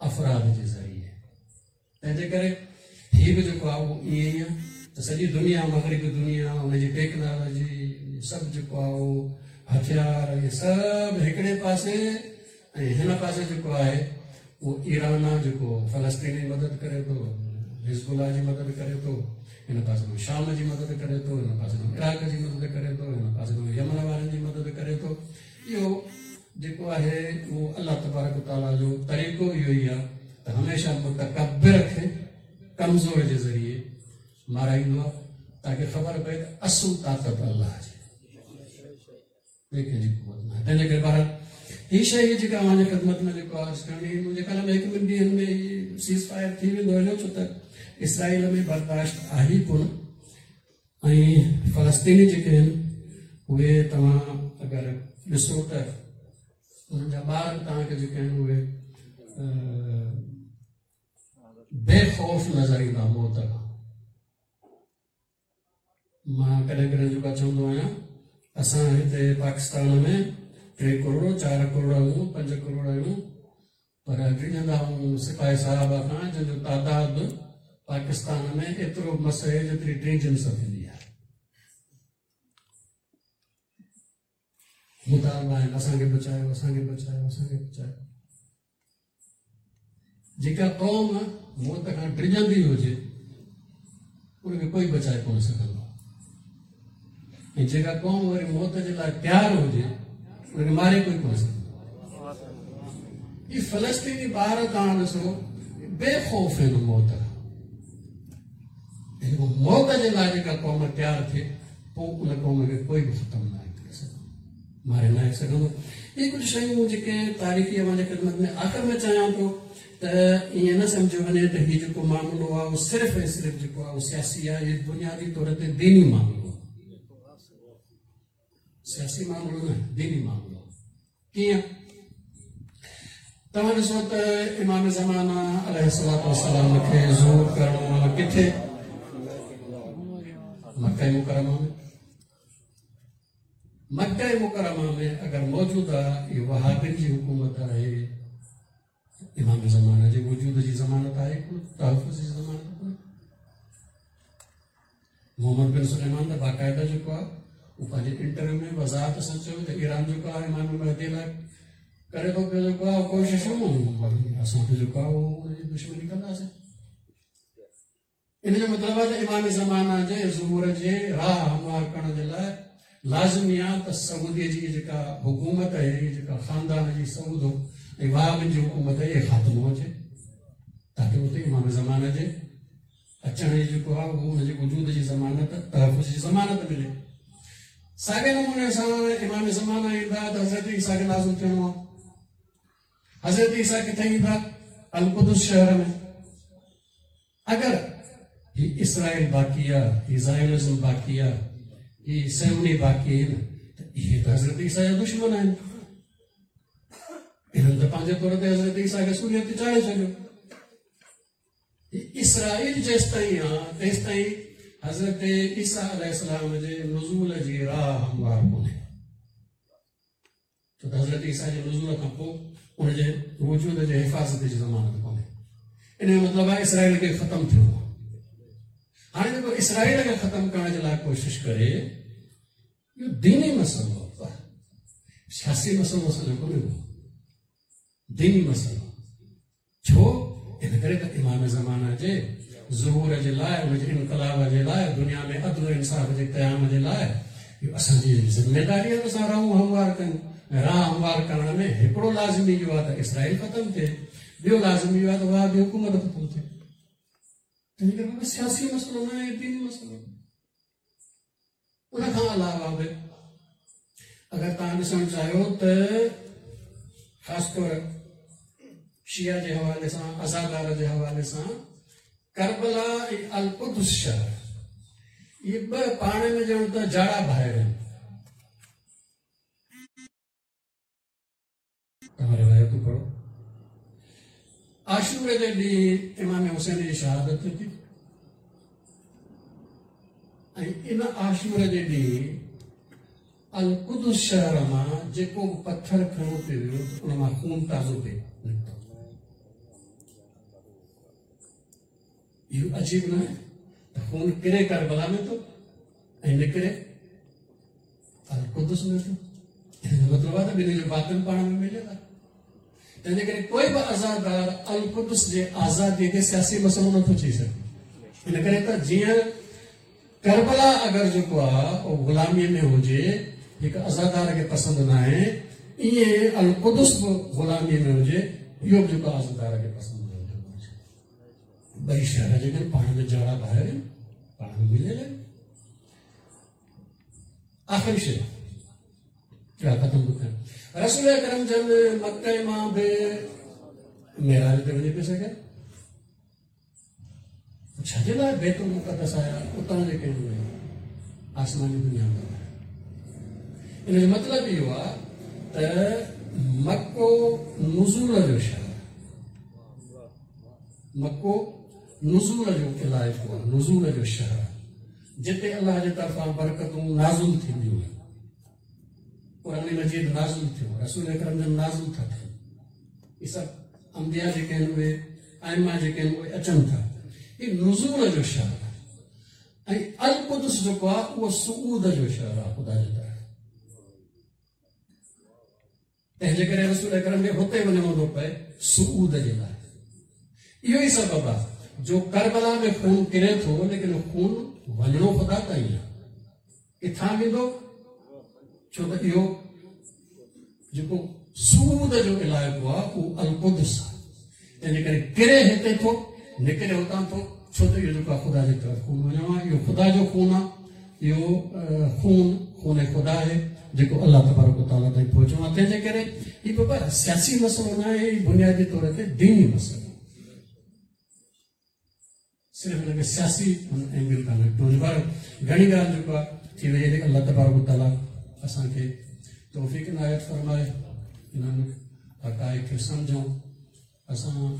افراد جي ذريعي. تنهن جي ڪري هي به جيڪو آهي اهو ائين ئي آهي ته سڄي دنيا، مغربي دنيا، ان جي ٽيڪنالاجي سڀ جيڪو آهي اهو هٿيار اهي سڀ هڪڙي پاسي، ۽ هن پاسي جيڪو آهي اهو ايران آهي جيڪو فلسطين جي مدد ڪري ٿو، حزب الله جي مدد ڪري ٿو، هن پاسي کان شام جي مدد ڪري ٿو، هن پاسي کان عراق جي مدد ڪري ٿو، هن پاسي کان يمن وارن جي مدد ڪري ٿو. اهو جيڪو آهي اهو الله تبارڪ وتعاليٰ جو طريقو اهو ئي آهي ته هميشه متڪبر کي ڪمزور جي ذريعي مارائيندو آهي، تاڪه خبر پئي ته اصل طاقت الله جي، ٻئي ڪنهن جي قوت نه آهي. تنهن جي ڪري بهرحال هي شيء هي جيڪا اوهان جي خدمت ۾ جيڪو عرض ڪرڻي هئي، منهنجي خيال ۾ هڪ ٻن ڏينهن ۾ هي سيز فائر ٿي ويندو هليو، ڇو ته اسرائيل ۾ برداشت آهي ئي ڪونه. ۽ فلسطيني جيڪي آهن اهي توهان اگر ڏسو ته انهن جا ٻار به توهان کي جيڪي آهن اهي بي خوف نظر ايندا موت کان. مان ڪڏهن ڪڏهن جيڪو چوندو آهيان، اسان هتي پاڪستان ۾ 3 ڪروڙ 4 ڪروڙ آهيون، 5 ڪروڙ آهيون، پر ڊڄندا آهيون سپاهي صاحب کان، جن جو تعداد پاڪستان ۾ ايترو مس آهي جيتري ٽي جنس ٿيندي آهي. مطالبا آهن اسان کي بچايو، اسان کي بچايو، اسان کي بچايو. جيڪا قوم موت کان ڊڄندي هجي ان کي ڪوئي بچائي ڪونه سگهندو، ۽ جيڪا قوم وري موت جي لاء تيار هجي ان کي ماري ڪوئي ڪونه سگهندو. هي فلسطيني ٻار توهان ڏسو بي خوف آهن موت کان. موت جي لاء جيڪا قوم تيار ٿئي پوء ان قوم کي ڪوئي به ختم ناهي ڪري سگهندو، ماري ناهي سگهندو. اهي ڪجهه شيون جيڪي تاريخي اوهان جي خدمت ۾ آخر ۾ چاهيان ٿو ته ائين نه سمجهيو وڃي ته هي جيڪو معاملو آهي اهو صرف ۽ صرف جيڪو آهي اهو سياسي آهي. هي بنيادي طور تي ديني معاملو آهي، سياسي معاملو نه، ديني معاملو آهي. ڪيئن؟ توهان ڏسو ته امام زمانه عليه الصلوة والسلام کي ظهور ڪرڻو آهي ڪٿي؟ مڪه مڪرمه ۾. مڪه مڪرمه ۾ اگر موجوده اهو وهابين جي حڪومت آهي، امام زمانه جي وجود جي ضمانت آهي ڪونه، تحفظ جي ضمانت ڪونه. محمد بن سليمان ته باقاعده جيڪو آهي اهو پنهنجي انٽرويو ۾ وضاحت سان چيو ته ايران جيڪو آهي امام مهدي لاء ڪري ٿو پيو جيڪو آهي ڪوششون، اسان ته جيڪو آهي اهو ان جي دشمني ڪنداسين. ان جو مطلب آهي ته امام زمانه جي ظهور جي راهه هموار ڪرڻ جي لاء لازمي آهي ته سعودي جي جيڪا حڪومت آهي، جيڪا خاندان جي سعود ۽ وهابين جي حڪومت آهي، اهي خاتمو اچي، تاڪه اتي امام زمانه جي اچڻ جي جيڪو آهي اهو ان جي وجود جي ضمانت، تحفظ جي ضمانت ملي. ساڳئي نموني سان امام زمانه ايندا ته حضرت عيسيٰ کي لازم ٿيڻو آهي. حضرت عيسيٰ ڪٿي ايندا؟ القدس شهر ۾. اگر هي اسرائيل باقي آ، هي زايونزم باقي آ، هي صهيوني باقي آهن ته اهي ته حضرت عيسيٰ جا دشمن آهن. انهن ته پنهنجي طور تي حضرت عيسيٰ کي سوريء تي چاڙهي ڇڏيو. اسرائيل جيستائين آ تيستائين حضرت عيسيٰ عليه السلام جي نزول جي راهه هموار ڪونهي. ڇو ته حضرت عيسيٰ جي نزول کان پوء ان جي وجود جي حفاظت جي ضمانت ڪونهي. ان جو مطلب آهي اسرائيل کي ختم ٿيڻو آهي. هاڻي جيڪو اسرائيل کي ختم ڪرڻ جي لاء ڪوشش ڪري، اهو ديني مسئلو آهي، سياسي مسئلو اسان جو ڪونهي ڪو، ديني مسئلو. ڇو؟ ان ڪري ته امام زمانه جي ظهور جي لاء، ان جي انقلاب جي لاء، دنيا ۾ عدل و انصاف جي قيام جي لاء اهو اسان جي ذميداري آهي ته اسان راهون هموار ڪيون. ۽ راهه هموار ڪرڻ ۾ هڪڙو لازمي اهو آهي ته اسرائيل ختم ٿئي، ٻيو لازمي اهو آهي ته وهابي حڪومت ختم ٿئي. تنهن ڪري بابا سياسي مسئلو نه آهي، ديني مسئلو آهي. ان کان علاوه به اگر توهان ڏسڻ چاهيو ته خاص طور شيعه جي حوالي سان، عزادار جي حوالي سان، ڪربلا ۽ القدس شهر اهي ٻه پاڻ ۾ ڄڻ ته جاڙا ڀائر آهن. توهان روايتون پڙهو. عاشوري جي ڏينهن امام حسين جي شهادت ٿي ٿي ۽ ان عاشوري جي ڏينهن القدس شهر مان جيڪو به پٿر کڻو پي ويو ته ان مان خون تازو پي نڪتو. اهو عجيب نه آهي ته خون ڪري ڪربلا ۾ ٿو ۽ نڪري القدس ۾ ٿو؟ ان جو مطلب آهي ته ٻنهي جو باطن پاڻ ۾ مليل آهي. تنهنجي ڪري ڪوئي به آزادار القدس جي آزادي کي سياسي مسئلو نٿو چئي سگهي. ان ڪري ته جيئن ڪربلا اگر جيڪو آهي اهو غلامي ۾ هجي، هڪ آزادار کي پسند نه آهي، ائين القدس به غلامي ۾ هجي، اهو به جيڪو آزادار کي پسند نه هجڻ گهرجي. ٻئي شهر جيڪي پاڻ ۾ جاڙا ڀائر آهن، پاڻ ۾ مليل آهن. آخري شيء ختم ٿو ڪيان، رسول اڪرم جن مڪي مان به معراج تي وڃي پئي سگهيا، ڇا جي لاء بيت المقدس آيا؟ اتان جيڪي آهن آسماني دنيا ۾ آيا. ان جو مطلب اهو آهي ته مڪو نزول جو شهر، مڪو نزول جو علائقو آهي، نزول جو شهر آهي، جتي الله جي طرفان برڪتون نازل ٿينديون آهن. قرآن مجيد نازل ٿيو، رسول اڪرم جن نازل ٿا ٿين، هي سڀ انبيا جيڪي آهن اهي ائمه جيڪي آهن اهي اچن ٿا. هي نزول جو شهر آهي ۽ القدس جيڪو آهي اهو صعود جو شهر آهي خدا جي طرف. تنهن جي ڪري رسول اڪرم کي هتي وڃڻو ٿو پئي صعود جي لاء. اهو ئي سبب آهي جو ڪربلا ۾ خون ڪري ٿو، ليڪن خون وڃڻو خدا تائين آهي. ڪٿان ويندو؟ ڇو ته اهو جيڪو صعود جو علائقو آهي اهو القدس آهي. تنهن جي ڪري ڪري هتي ٿو، نڪري هتان ٿو، ڇو ته اهو جيڪو آهي خدا جي طرف خون وڃڻو آهي. اهو خدا جو خون آهي، اهو خون خون خدا آهي جيڪو الله تبارڪ وتعاليٰ تائين پهچڻو آهي. تنهن جي ڪري هي بابا سياسي مسئلو نه آهي، هي بنيادي طور تي ديني مسئلو آهي. صرف هن کي سياسي اينگل کان نه ڏٺو وڃي. پر گهڻي ڳالهه جيڪو آهي ٿي وئي آهي. الله تبارڪ وتعاليٰ اسان کي توفيق عنايت فرمائي انهن حقائق کي سمجهون. اسان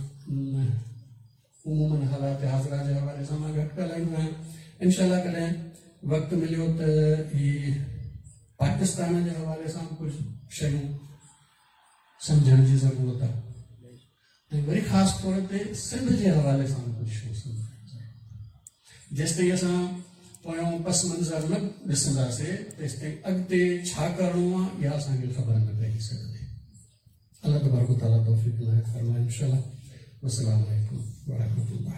عموماً حالات حاضره جي حوالي سان مان گهٽ ڳالهائيندو آهيان. انشاء الله ڪڏهن وقت مليو ته هي پاڪستان جي حوالي سان به ڪجهه شيون سمجهڻ جي ضرورت آهي ۽ وري خاص طور تي سنڌ جي حوالي سان به ڪجهه شيون سمجهڻ جي ضرورت آهي. جيستائين اسان پويون پس منظر نه ڏسنداسي تيستائين اڳتي ڇا ڪرڻو آهي اها اسان کي خبر نه پئجي سگهندي. الله تبارڪ وتعاليٰ توفيق عنايت فرمائي انشاء الله. والسلام عليڪم ورحمة الله.